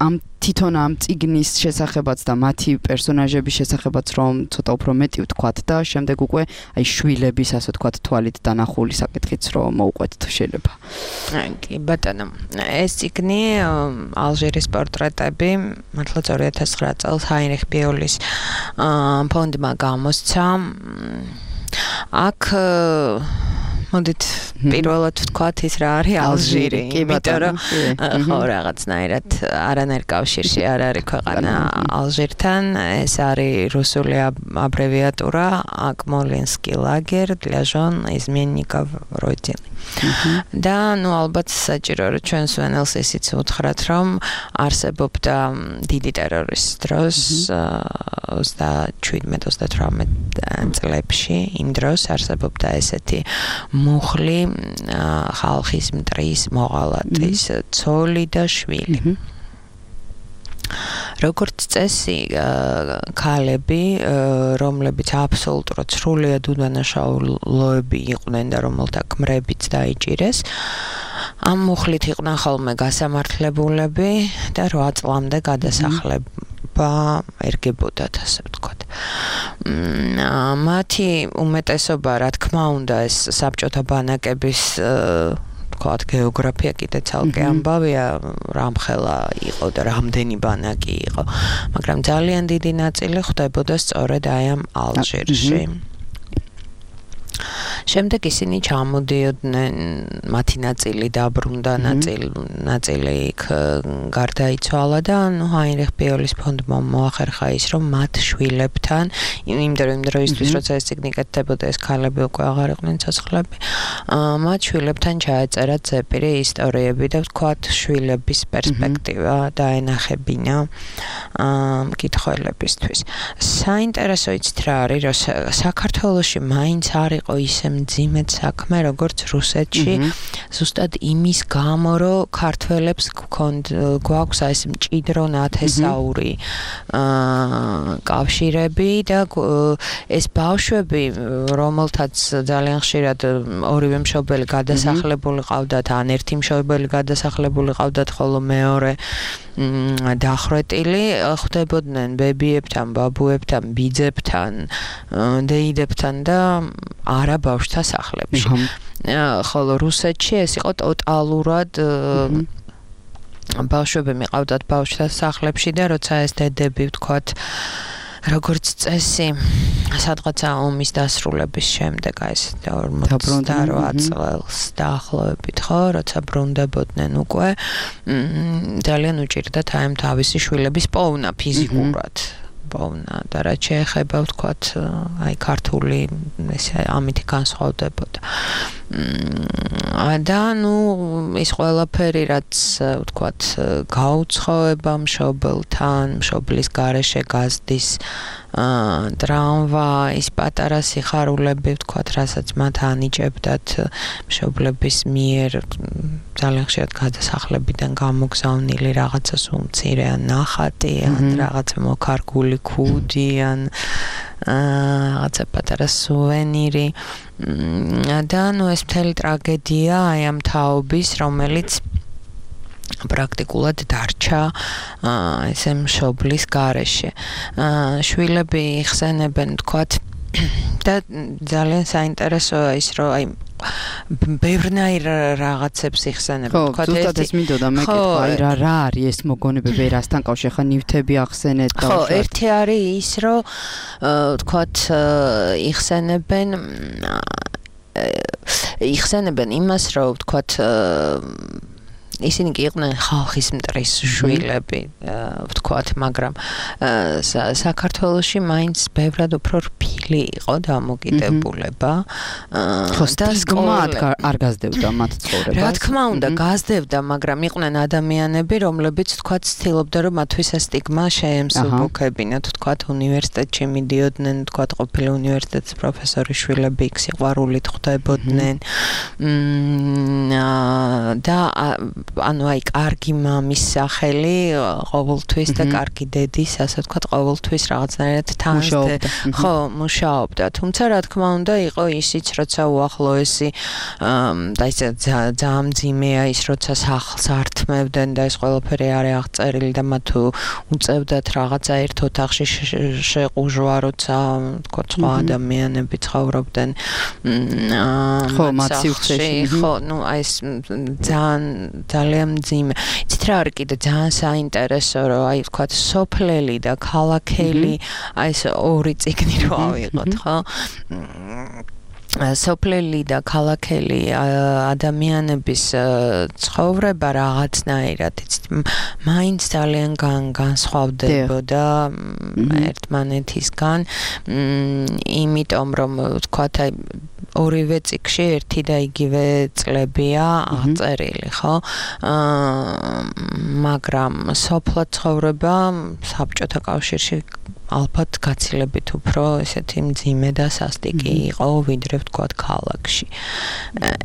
ამ თვითონ ამ წიგნის შესახებაც და მათი პერსონაჟების შესახებაც რომ ცოტა უფრო მეტი ვთქვათ და შემდეგ უკვე აი შვილების ასე ვთქვათ თვალით დანახული საკითხიც რომ მოუყვეთ თუ შეიძლება. კი ბატონო, ეს წიგნი ალჟირის პორტრეტები მართლაც ორი ათას ცხრა წელს ჰაინრიხ ბოლის ფონდმა გამოსცა. აქ მოდით პირველად ვთქვათ ის რა არის ალჟირი, იმიტომ რომ ხო რაღაცნაირად არანაირ კავშირში არ არის ქვეყანა ალჟირთან, ეს არის რუსული აბრევიატურა აკმოლინსკი ლაგერ для жен изменников родины. და ნუ ალბათ საჭირო რომ ჩვენს ვენელს ისიც უთხრათ რომ არსებობდა დიდი ტერორის დროს ოცდაშვიდმეტ ოცდათვრამეტ წლებში იმ დროს არსებობდა ესეთი მუხლი ხალხის მტრის მოღალატის ცოლი და შვილი. როგორც წესი ქალები, რომლებიც აბსოლუტურად სრულიად უდანაშაულოები იყვნენ და რომელთა ქმრებიც დაიჭირეს, ამ მუხლით იყვნენ ხოლმე გასამართლებულები და რვა წლამდე გადასახლება ერგებოდათ, ასე ვთქვათ. მათი უმეტესობა, რა თქმა უნდა, ეს საბჭოთა ბანაკების თქვათ გეოგრაფია კიდე ცალკე ამბავია, რამხელა იყო და რამდენი ბანაკი იყო, მაგრამ ძალიან დიდი ნაწილი ხდებოდა სწორედ აი ამ ალჟირში. შემდეგ ისინი ჩამოდიოდნენ, მათი ნაწილი დაბრუნდა, ნაწილი ნაწილი იქ გარდაიცვალა და ნუ ჰაინრიხ ბიოლის ფონდმა მოახერხა ის, რომ მათ შვილებთან, იმ დროისთვის, როცა ეს წიგნი კეთდებოდა, ეს ქალები უკვე აღარ იყვნენ ცოცხლები, მათ შვილებთან ჩაეწერა ზეპირი ისტორიები და ვთქვათ, შვილების პერსპექტივა დაენახებინა მკითხველებისთვის. საინტერესო იცით რა არის, რომ საქართველოში მაინც არ იყო ისე მძიმედ საქმე, როგორც რუსეთში, ზუსტად იმის გამო, რომ ქართველებს გვაქვს ეს მჭიდრო ნათესაური კავშირები და ეს ბავშვები, რომელთაც ძალიან ხშირად ორივე მშობელი გადასახლებული ყავდათ, ან ერთი მშობელი გადასახლებული ყავდათ, ხოლო მეორე დახრეტილი, ხდებოდნენ ბებიებთან, ბაბუებთან, ბიძებთან, დეიდებთან და არა ბავშვთა სახლებში. ხოლო რუსეთში ეს იყო ტოტალურად ბავშვები მიყავდათ ბავშვთა სახლებში და როცა ეს დედები ვთქვათ როგორც წესი სადღაცა ომის დასრულების შემდეგ აი ეს ორმოცდარვა წელს დაახლოებით ხო, როცა ბრუნდებოდნენ უკვე ძალიან უჭირდათ აი ამ თავისი შვილების პოვნა ფიზიკურად. პოვნა და რაც შეეხება ვთქვათ აი ქართული ესე ამითი განსხვავდებოდა. და ნუ ის ყველაფერი რაც ვთქვათ გაუცხოება მშობელთან, მშობლის გარეშე გაზდის ტრამვაის პატარა სიხარულები ვთქვათ, რასაც მათ ანიჭებდათ მშობლების მიერ ძალიან ხშირად გადასახლებიდან გამოგზავნილი რაღაცა სუმცირე ან ნახატი ან რაღაცა მოქარგული ქუდი ან რაღაცა პატარა სუვენირი და ნუ ეს მთელი ტრაგედია აი ამ თაობის, რომელიც პრაქტიკულად დარჩა ესე მშობლის გარეშე. შვილები იხსენებენ თქვათ და ძალიან საინტერესოა ის, რომ აი ბევრნაირ რაღაცებს იხსენებენ. თქვათ ზუსტად ეს მინდოდა მეკითხა, აი რა რა არის ეს მოგონებები, რასთან კავშირი, ხა ნივთები ახსენეთ და ხო, ერთი არის ის, რომ თქვათ იხსენებენ იხსენებენ იმას, რომ თქვათ ისინი კი იყვნენ ხალხის მტრის შვილები, ვთქვათ, მაგრამ საქართველოში მაინც ბევრად უფრო რბილი იყო დამოკიდებულება. ხო, სტიგმა არ გაზრდებდა მათ ცხოვრებას. რა თქმა უნდა, გაზრდებდა, მაგრამ იყვნენ ადამიანები, რომლებიც ვთქვათ, ცდილობდა, რომ მათთვის ეს სტიგმა შეემსუბუქებინათ, ვთქვათ, უნივერსიტეტში მიდიოდნენ, ვთქვათ, ყოფილი უნივერსიტეტის პროფესორის შვილები იქ სიყვარულით ხვდებოდნენ. და ანუ აი კარგი მამის სახელი ყოველთვის და კარგი დედის, ასე ვთქვათ, ყოველთვის რაღაცნაირად თანხმობდა. ხო, მუშაობდა. თუმცა რა თქმა უნდა, იყო ისიც, როცა უახლოესი და ისე ძალიან მძიმეა ის, როცა სახლს ართმევდნენ და ეს ყველაფერი არის აღწერილი და მათ უწევდათ რაღაცა ერთ ოთახში შეყუჟვა, როცა ვთქვათ, სხვა ადამიანები ცხოვრობდნენ. ხო, მათ სივრცეში. ხო, ნუ აი ეს ძალიან ძალიან მძიმე. იცით რა არის კიდე ძალიან საინტერესო, რომ აი ვთქვათ სოფლელი და ქალაქელი, აი ეს ორი წიგნი რო ავიღოთ, ხო? სოფლელი და ქალაქელი ადამიანების ცხოვრება რაღაცნაირად იცით მაინც ძალიან განსხვავდებოდა ერთმანეთისგან იმიტომ რომ ვთქვათ აი ორივე წიგნში ერთი და იგივე წლებია აღწერილი ხო მაგრამ სოფლად ცხოვრება საბჭოთა კავშირში ალბათ გაცილებით უფრო ესეთი მძიმე და სასტიკი იყო ვიდრე ვთქვათ ქალაქში.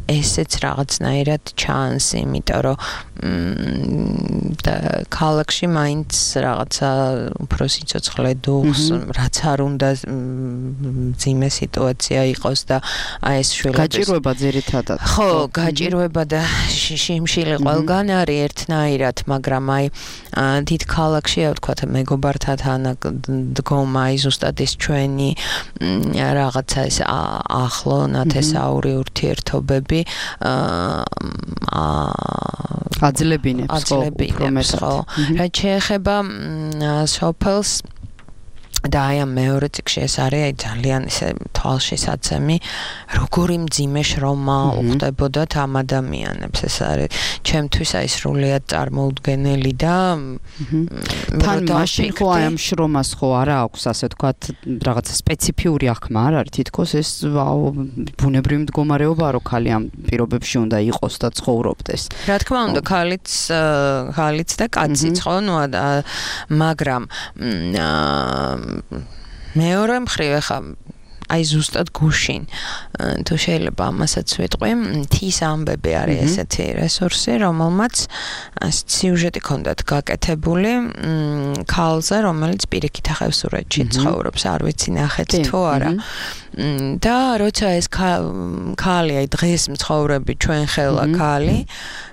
ესეც რაღაცნაირად ჩანს, იმიტომ რომ ქალაქში მაინც რაღაცა უფრო სიცოცხლე დუხს, რაც არ უნდა მძიმე სიტუაცია იყოს და აი ეს შვილების გაჭირვება ძირითადად. ხო, გაჭირვება და შიმშილი ყველგან არის ერთნაირად, მაგრამ აი დიდ ქალაქში ვთქვათ მეგობართან დგომა ის ზუსტად ის ჩვენი რაღაცა ეს ახლო ნათესაური ურთიერთობები აძლევინებს ხო უფრო მეტად. რაც შეეხება სოფელს და აი ამ მეორე წიგნში ეს არის აი ძალიან ისე თვალშისაცემი როგორი მძიმე შრომა უხდებოდათ ამ ადამიანებს ეს არის ჩემთვის აი სრულიად წარმოუდგენელი და თან მაშინ ხო აი ამ შრომას ხო არა აქვს ასე ვთქვათ რაღაცა სპეციფიური აღქმა არ არის თითქოს ეს ბუნებრივი მდგომარეობა რო ხალი ამ პირობებში უნდა იყოს და ცხოვრობდეს რა თქმა უნდა ხალიც ხალიც და კაციც ხო ნუ მაგრამ მეორე მხრივ ახლა აი ზუსტად გუშინ თუ შეიძლება ამასაც ვიტყვი მთის ამბები არის ესეთი რესურსი რომელმაც სიუჟეტი ჰქონდათ გაკეთებული ქალზე რომელიც პირიქით ახევსურეთში ცხოვრობს არ ვიცი ნახეთ თუ არა და როცა ეს ქალი აი დღეს მცხოვრები ჩვენ ხელა ქალი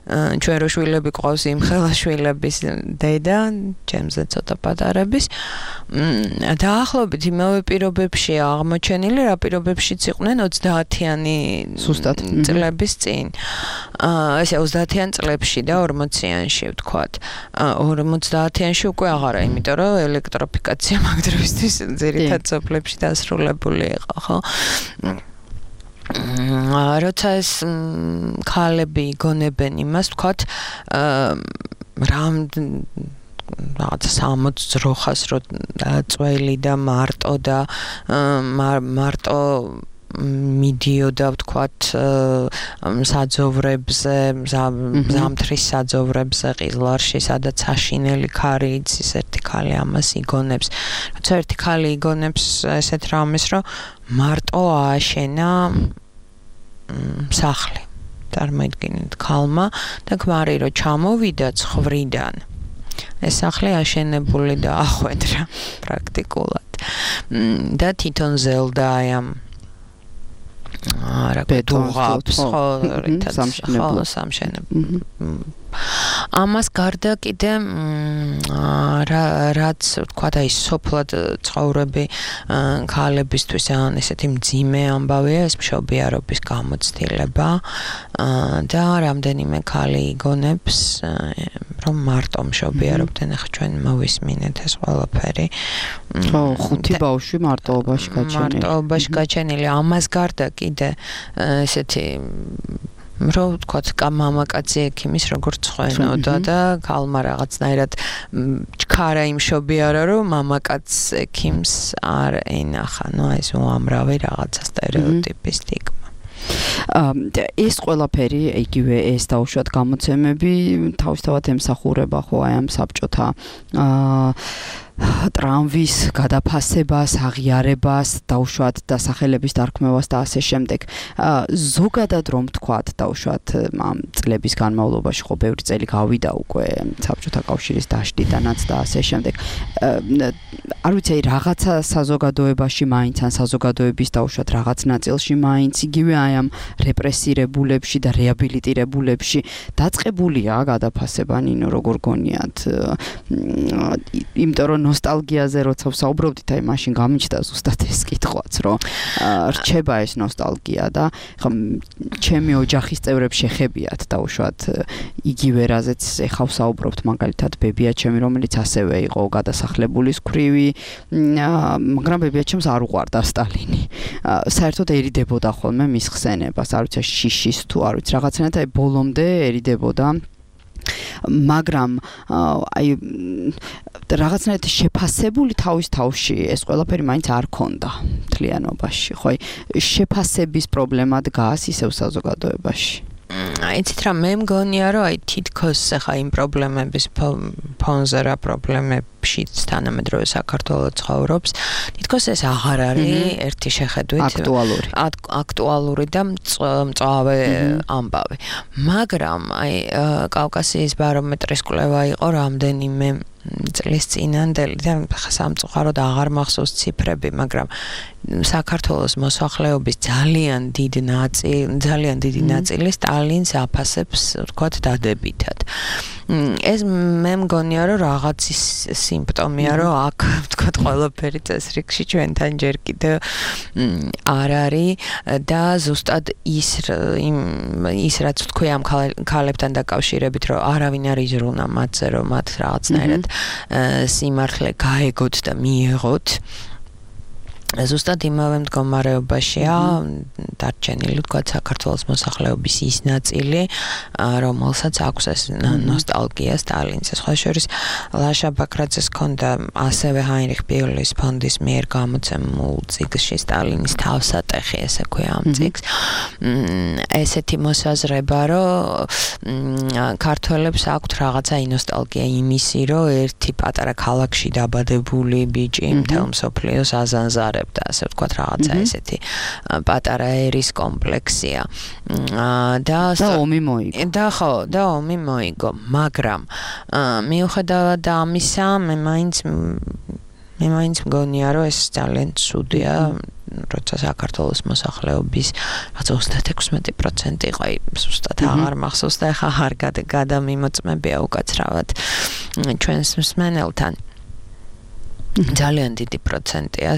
ჩვენ რო შვილები ყავს იმ ხელა შვილების დედა ჩემზე ცოტა პატარების დაახლოებით იმავე პირობებში აღმოჩენილი რა პირობებშიც იყვნენ ოცდაათიანი ზუსტად წლების წინ ესე ოცდაათიან წლებში და ორმოციანში ვთქვათ ორმოცდაათიანში უკვე აღარა იმიტომ რომ ელექტროფიკაცია მაგ დროისთვის ძირითად სოფლებში დასრულებული იყო ხო როცა ეს ქალები იგონებენ იმას ვთქვათ რამ რაღაც სამოც ძროხას რო წველი და მარტო და მარტო მიდიოდა ვთქვათ საძოვრებზე ზამთრის საძოვრებზე ყიზლარში სადაც აშინელი ქარი იცის ერთი ქალი ამას იგონებს როცა ერთი ქალი იგონებს ესეთ რამეს რომ მარტო ააშენა სახლი წარმოიდგინეთ ქალმა და ქმარი რო ჩამოვიდა ცხრიდან ეს სახლი აშენებული და ახვედრა პრაქტიკულად და თვითონ ზელდა აი ამ არა ბეტონს ხო სამშენებლად ამას გარდა კიდე რაც ვთქვათ აი სოფლად ცხოვრები ქალებისთვის ან ესეთი მძიმე ამბავია ეს მშობიარობის გამოცდილება და რამდენიმე ქალი იგონებს რომ მარტო მშობიარობდნენ ახლა ჩვენ მოვისმინეთ ეს ყველაფერი ხო ხუთი ბავშვი მარტოობაში გაჩენილი მარტოობაში გაჩენილი ამას გარდა კიდე ესეთი რომ ვთქვათ მამაკაცი ექიმის როგორც ხვენოდა და ქალმა რაღაცნაირად ჩქარა იმ შობიარა რომ მამაკაც ექიმს არ ენახა ნუ ეს უამრავი რაღაცა სტერეოტიპი სტიგმა ეს ყველაფერი იგივე ეს დაუშვათ გამოცემები თავისთავად ემსახურება ხო აი ამ საბჭოთა ტრამვის გადაფასებას, აღიარებას, დაუშვათ დასახელების დარქმევას და ასე შემდეგ. ზოგადად რომ ვთქვათ, დაუშვათ ამ წლების განმავლობაში ხო ბევრი წელი გავიდა უკვე საბჭოთა კავშირის დაშლიდანაც და ასე შემდეგ. არ ვიცი, რაღაცა საზოგადოებაში მაინც ან საზოგადოების დაუშვათ რაღაც ნაწილში მაინც იგივე აი ამ რეპრესირებულებში და რეაბილიტირებულებში დაწყებულია გადაფასება, ნინო როგორ გონიათ? იმიტომ რომ ნოსტალგიაზე როცა ვსაუბრობდით, აი მაშინ გამიჩნდა ზუსტად ეს კითხვაც, რომ რჩება ეს ნოსტალგია და ხა ჩემი ოჯახის წევრებს შეხებიათ დაუშვათ იგივე რაზეც ეხა ვსაუბრობთ, მაგალითად ბებია ჩემი, რომელიც ასევე იყო გადასახლებულის ქვრივი, მაგრამ ბებია ჩემს არ უყვარდა სტალინი. საერთოდ ერიდებოდა ხოლმე მის ხსენებას, არ ვიცი შიშის თუ არ ვიცი რაღაცნაირად აი ბოლომდე ერიდებოდა მაგრამ აი რაღაცნაირად შეფასებული თავის თავში ეს ყველაფერი მაინც არ ქონდა მთლიანობაში ხო შეფასების პრობლემა დგას ისევ საზოგადოებაში იცით რა მე მგონია რომ აი თითქოს ახლა იმ პრობლემების ფონზე რა პრობლემებშიც თანამედროვე საქართველოს ცხოვრობს თითქოს ეს აღარ არის ერთი შეხედვით აქტუალური აქტუალური და მწვავე ამბავი მაგრამ აი კავკასიის ბარომეტრის კვლევა იყო რამდენიმე წლის წინანდელი და სამწუხაროდ აღარ მახსოვს ციფრები, მაგრამ საქართველოს მოსახლეობის ძალიან დიდ ნაწილი, ძალიან დიდი ნაწილი სტალინს აფასებს, ვთქვათ, დადებითად. ეს მე მგონია, რომ რაღაცის სიმპტომია, რომ აქ, ვთქვათ, ყველაფერი წესრიგში ჩვენთან ჯერ კიდევ არ არის და ზუსტად ის ის რაც ვთქვი ამ ქალებთან დაკავშირებით, რომ არავინ არ იზრუნა მათზე, რომ მათ რაღაცნაირად სიმართლე გაეგოთ და მიიღოთ ზუსტად იმავე მდგომარეობაშია დარჩენილი თქვათ საქართველოს მოსახლეობის ის ნაწილი რომელსაც აქვს ეს ნოსტალგია სტალინს სხვა შორის ლაშა ბაქრაძეს ჰქონდა ასევე ჰაინრიხ ბიოლის ფონდის მიერ გამოცემულ წიგნში სტალინის თავსატეხი ესე ქვია ამ წიგნს ესეთი მოსაზრება რომ ქართველებს აქვთ რაღაცა ნოსტალგია იმისი რომ ერთი პატარა ქალაქში დაბადებული ბიჭი მთელ მსოფლიოს აზანზარებს და ასე ვთქვათ რაღაცა ესეთი პატარა ერის კომპლექსია და და ომი მოიგო და ხო და ომი მოიგო მაგრამ მიუხედავად ამისა მე მაინც მე მაინც მგონია რომ ეს ძალიან ცუდია როცა საქართველოს მოსახლეობის რაღაც ოცდაექვსი პროცენტი იყო ზუსტად აღარ მახსოვს და ახლა აღარ გადამიმოწმებია უკაცრავად ჩვენს მსმენელთან ძალიან დიდი პროცენტია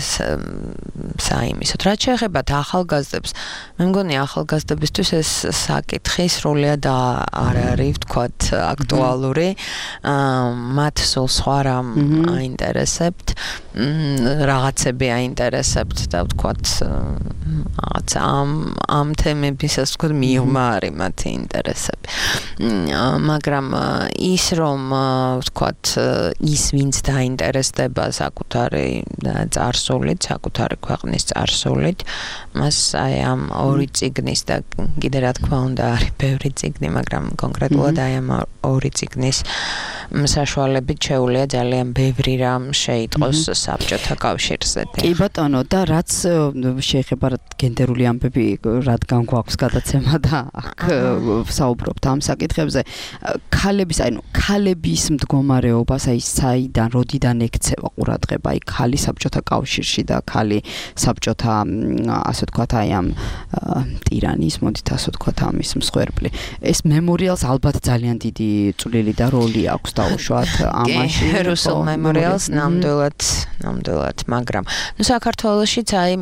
საიმისოდ. რაც შეეხება ახალგაზრდებს, მე მგონი ახალგაზრდებისთვის ეს საკითხი სრულიად არ არის, ვთქვათ, აქტუალური. მათ სულ სხვა რამ აინტერესებთ, რაღაცები აინტერესებთ და ვთქვათ, რაღაც ამ ამ თემებისას ვთქვათ, მიღმა არის მათი ინტერესები. მაგრამ ის რომ ვთქვათ, ის ვინც დაინტერესდება საკუთარი წარსულით, საკუთარი ქვეყნის წარსულით, მას აი ამ ორი წიგნის და კიდე რა თქმა უნდა არის ბევრი წიგნი, მაგრამ კონკრეტულად აი ამ ორი წიგნის საშუალებით შეუძლია ძალიან ბევრი რამ შეიტყოს საბჭოთა კავშირზე. კი ბატონო, და რაც შეეხება გენდერული ამბები, რადგან გვაქვს გადაცემა და აქ საუბრობთ ამ საკითხებზე, ქალების, აი ნუ ქალების მდგომარეობას, აი საიდან, როდიდან ექცევა ყურადღება, აი ქალი საბჭოთა კავშირში და ქალი საბჭოთა, ასე ვთქვათ, აი ამ ტირანის, მოდით ასე ვთქვათ, ამის მსხვერპლი. ეს მემორიალს ალბათ ძალიან დიდი წვლილი და როლი აქვს დაუშვათ ამაში. რუსულ მემორიალს ნამდვილად, ნამდვილად, მაგრამ ნუ საქართველოშიც აი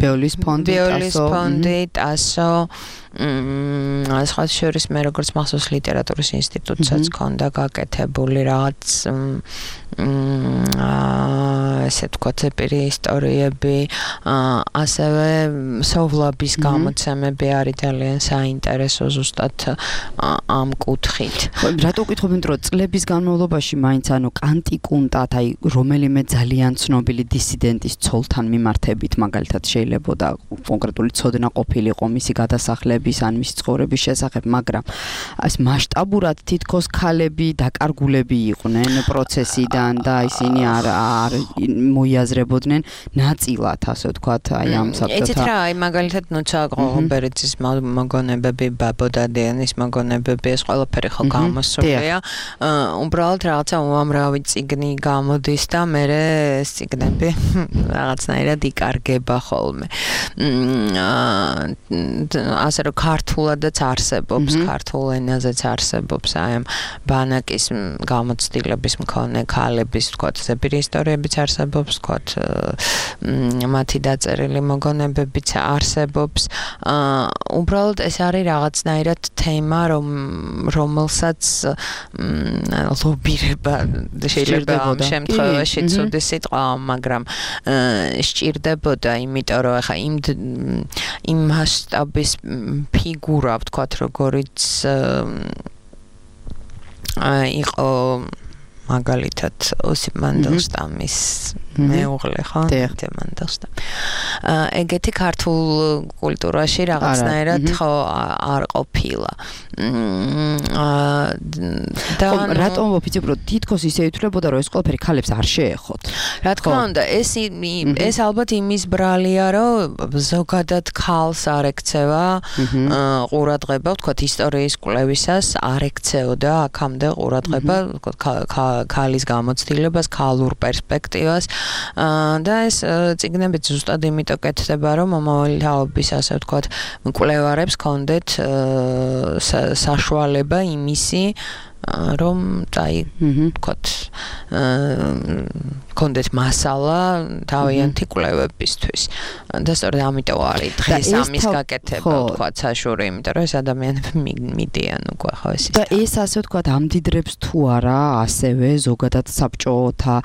ბიოლის ფონდი, ბიოლის ფონდი, ტასო მმ სხვა შორის მე როგორც მახსოვს ლიტერატურის ინსტიტუტსაც ჰქონდა გაკეთებული რაღაც ესე ვთქვათ ეპირი ისტორიები ასევე სოვლაბის გამოცემები არის ძალიან საინტერესო ზუსტად ამ კუთხით. რატო ვკითხობთ რომ წლების განმავლობაში მაინც ანუ კანტიკუნტად აი რომელიმე ძალიან ცნობილი დისიდენტის ცოლთან მიმართებით მაგალითად შეიძლება და კონკრეტული ცოდნა ყოფილიყო მისი გადასახლების ან მისი ცხოვრების შესახებ, მაგრამ ეს მასშტაბურად თითქოს ქალები დაკარგულები იყვნენ პროცესიდან და ისინი არ არ მოიაზრებოდნენ ნაწილად, ასე ვთქვათ, აი ამ საბჭოთა. იცით რა, აი მაგალითად ნუცა ყოღობერიცის მოგონებები, ბაბოდადიანის მოგონებები, ეს ყველაფერი ხო გამოსულია. უბრალოდ რაღაცა უამრავი წიგნი გამოდის და მე ეს წიგნები რაღაცნაირად იკარგება ხოლმე. ასე რომ ქართულადაც არსებობს, ქართულ ენაზეც არსებობს აი ამ ბანაკის გამოცდილების მქონე ქალების, ვთქვათ, ზეპირი ისტორიებიც არსებობს, ვთქვათ, მათი დაწერილი მოგონებებიც არსებობს. უბრალოდ ეს არის რაღაცნაირად თემა, რომ რომელსაც ლობირება შეიძლება ამ შემთხვევაში ცუდი სიტყვა, მაგრამ სჭირდებოდა, იმიტომ რომ ახლა იმ იმ მასშტაბის ფიგურა, ვთქვათ, როგორიც იყო მაგალითად ოსიპ მანდელშტამის მეუღლე, ხო? მანდელშტამი. ეგეთი ქართულ კულტურაში რაღაცნაირად ხო არ ყოფილა. და რატომ ვფიქრობ, თითქოს ისე ითვლებოდა, რომ ეს ყველაფერი ქალებს არ შეეხოთ. რა თქმა უნდა, ეს ეს ალბათ იმის ბრალია, რომ ზოგადად ქალს არ ექცევა ყურადღება, ვთქვათ, ისტორიის კვლევისას არ ექცეოდა აქამდე ყურადღება, ქალის გამოცდილებას, ქალურ პერსპექტივას და ეს წიგნებიც ზუსტად იმიტომ კეთდება, რომ მომავალი თაობის, ასე ვთქვათ, მკვლევარებს ჰქონდეთ საშუალება იმისი, რომ აი, ვთქვათ, ჰქონდეთ მასალა თავიანთი კვლევებისთვის. და სწორედ ამიტომ არის დღეს ამის გაკეთება, ვთქვათ, საშუალო, იმიტომ რომ ეს ადამიანები მიდიან უკვე ხო ეს. და ეს ასე ვთქვათ, ამდიდრებს თუ არა ასევე ზოგადად საბჭოთა,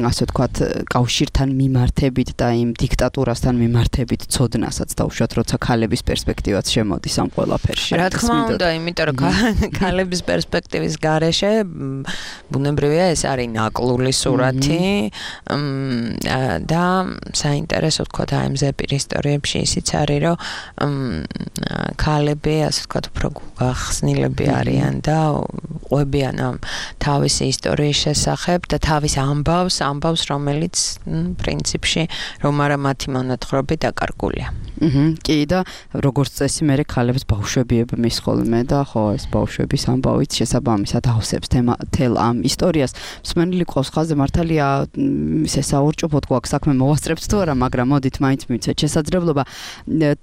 ასე ვთქვათ, კავშირთან მიმართებით და იმ დიქტატურასთან მიმართებით ცოდნასაც დაუშვათ, როცა ქალების პერსპექტივაც შემოდის ამ ყველაფერში. რა თქმა უნდა, იმიტომ რომ ქალების პერსპექტივის გარეშე ბუნებრივია ეს არის ნაკლული სურათი და საინტერესო ვთქვათ აი ამ ზეპირ ისტორიებში ისიც არის რომ ქალები ასე ვთქვათ უფრო გახსნილები არიან და ყვებიან ამ თავისი ისტორიის შესახებ და თავის ამბავს ამბავს რომელიც პრინციპში რომ არა მათი მონათხრობი დაკარგულია. კი და როგორც წესი მე ქალებს ბავშვები მის ხოლმე და ხო ეს ბავშვების ამბავით შესაბამისად ავსებს თელ ამ ისტორიას. მსმენელი ყავს ხაზზე მართალია ისე საურჭოფოდ გვაქვს საქმე მოვასწრებთ თუ არა, მაგრამ მოდით მაინც მივცეთ შესაძლებლობა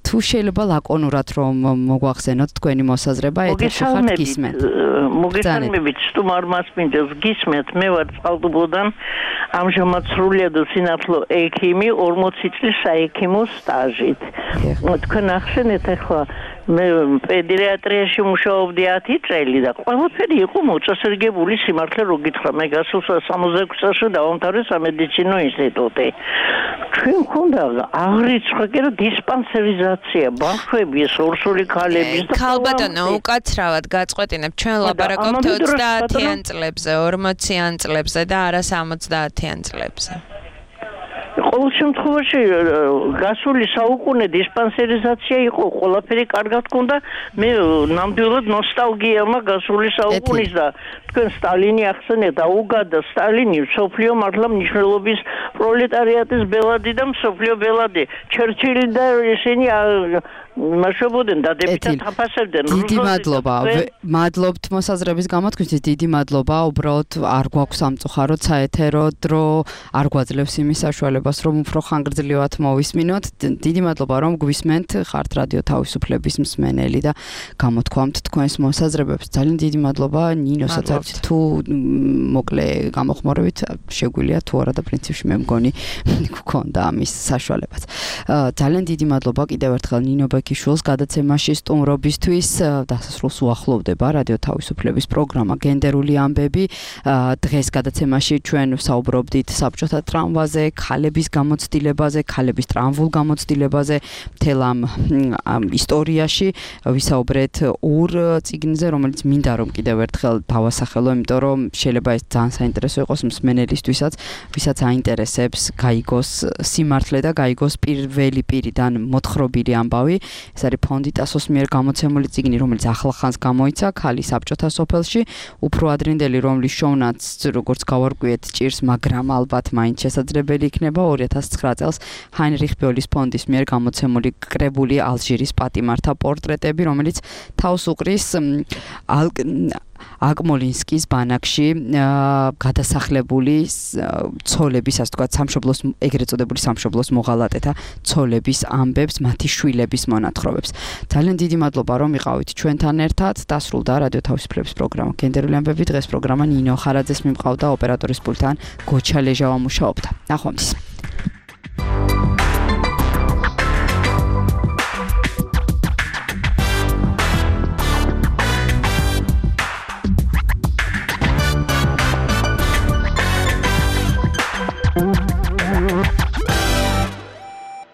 თუ შეიძლება ლაკონურად რომ მოგვახსენოთ თქვენი მოსაზრება ეთერში ხართ გისმენთ. მოგესალმებით, სტუმარ მასპინძელს გისმენთ, მე ვარ წყალტუბოდან, ამჟამად სრულიად სინათლო ექიმი, ორმოცი წლის საექიმო სტაჟით. თქვენ ახსენეთ ახლა მე პედიატრიაში მუშაობდი ათი წელი და ყველაფერი იყო მოწესრიგებული სიმართლე რო გითხრა მე გასულ სამოცდაექვსი წელს დავამთავრე სამედიცინო ინსტიტუტი. ჩვენ მქონდა აღრიცხვა კი რომ დისპანსერიზაცია ბავშვები ეს ორსული ქალების და ქალბატონო უკაცრავად გაწყვეტინებ ჩვენ ლაბარაკობთ ოცდაათიან წლებზე, ორმოციან წლებზე და არა სამოცდაათიან წლებზე. ყოველ შემთხვევაში გასული საუკუნე დისპანსერიზაცია იყო, ყველაფერი კარგად ჰქონდა. მე ნამდვილად ნოსტალგია მაქვს გასული საუკუნის და თქვენ სტალინი ახსენეთ, აუგადა სტალინი მსოფლიო მართლა მნიშვნელობის პროლეტარიატის ბელადი და მსოფლიო ბელადი. ჩერჩილი და ისინი მაშობოდნენ დადებითად აფასებდნენ. დიდი მადლობა. მადლობთ მოსაზრების გამოთქმისთვის, დიდი მადლობა. უბრალოდ არ გვაქვს სამწუხაროდ საეთერო დრო, არ გვაძლევს იმის საშუალებას რომ უფრო ხანგრძლივად მოვისმინოთ. დიდი მადლობა რომ გვისმენთ, ხართ რადიო თავისუფლების მსმენელი და გამოთქვამთ თქვენს მოსაზრებებს. ძალიან დიდი მადლობა ნინოსაც თუ მოკლე გამოხმარებით შეგვიძლია თუ არა და პრინციპში მე მგონი გქონდა ამის საშუალებაც. ძალიან დიდი მადლობა კიდევ ერთხელ ნინო ბექიშვილს გადაცემაში სტუმრობისთვის. დასასრულს უახლოვდება რადიო თავისუფლების პროგრამა გენდერული ამბები. დღეს გადაცემაში ჩვენ ვსაუბრობდით საბჭოთა ტრამვაზე, ქალების გამოცდილებაზე, ქალების ტრამვულ გამოცდილებაზე, მთელ ამ ისტორიაში ვისაუბრეთ ორ წიგნზე, რომელიც მინდა რომ კიდევ ერთხელ დავასახელო, იმიტომ რომ შეიძლება ეს ძალიან საინტერესო იყოს მსმენელისთვისაც, ვისაც აინტერესებს გაიგოს სიმართლე და გაიგოს პირველი პირიდან მოთხრობილი ამბავი. ეს არის ფონდი ტასოს მიერ გამოცემული წიგნი, რომელიც ახლახანს გამოიცა ქალი საბჭოთა სოფელში, უფრო ადრინდელი, რომლის შოვნაც როგორც გავარკვიეთ ჭირს, მაგრამ ალბათ მაინც შესაძლებელი იქნება ორი ათას ცხრა წელს ჰაინრიხ ბიოლის ფონდის მიერ გამოცემული კრებული ალჟირის პატიმართა პორტრეტები, რომელიც თავს უყრის აკმოლინსკის ბანაკში გადასახლებული ცოლების, ასე ვთქვათ, სამშობლოს ეგრეთ წოდებული სამშობლოს მოღალატეთა ცოლების ამბებს, მათი შვილების მონათხრობებს. ძალიან დიდი მადლობა რომ იყავით ჩვენთან ერთად. დასრულდა რადიო თავისუფლების პროგრამა გენდერული ამბები. დღეს პროგრამა ნინო ხარაძეს მიმყავდა, ოპერატორის პულტთან გოჩა ლეჟავა მუშაობდა. ნახვამდის.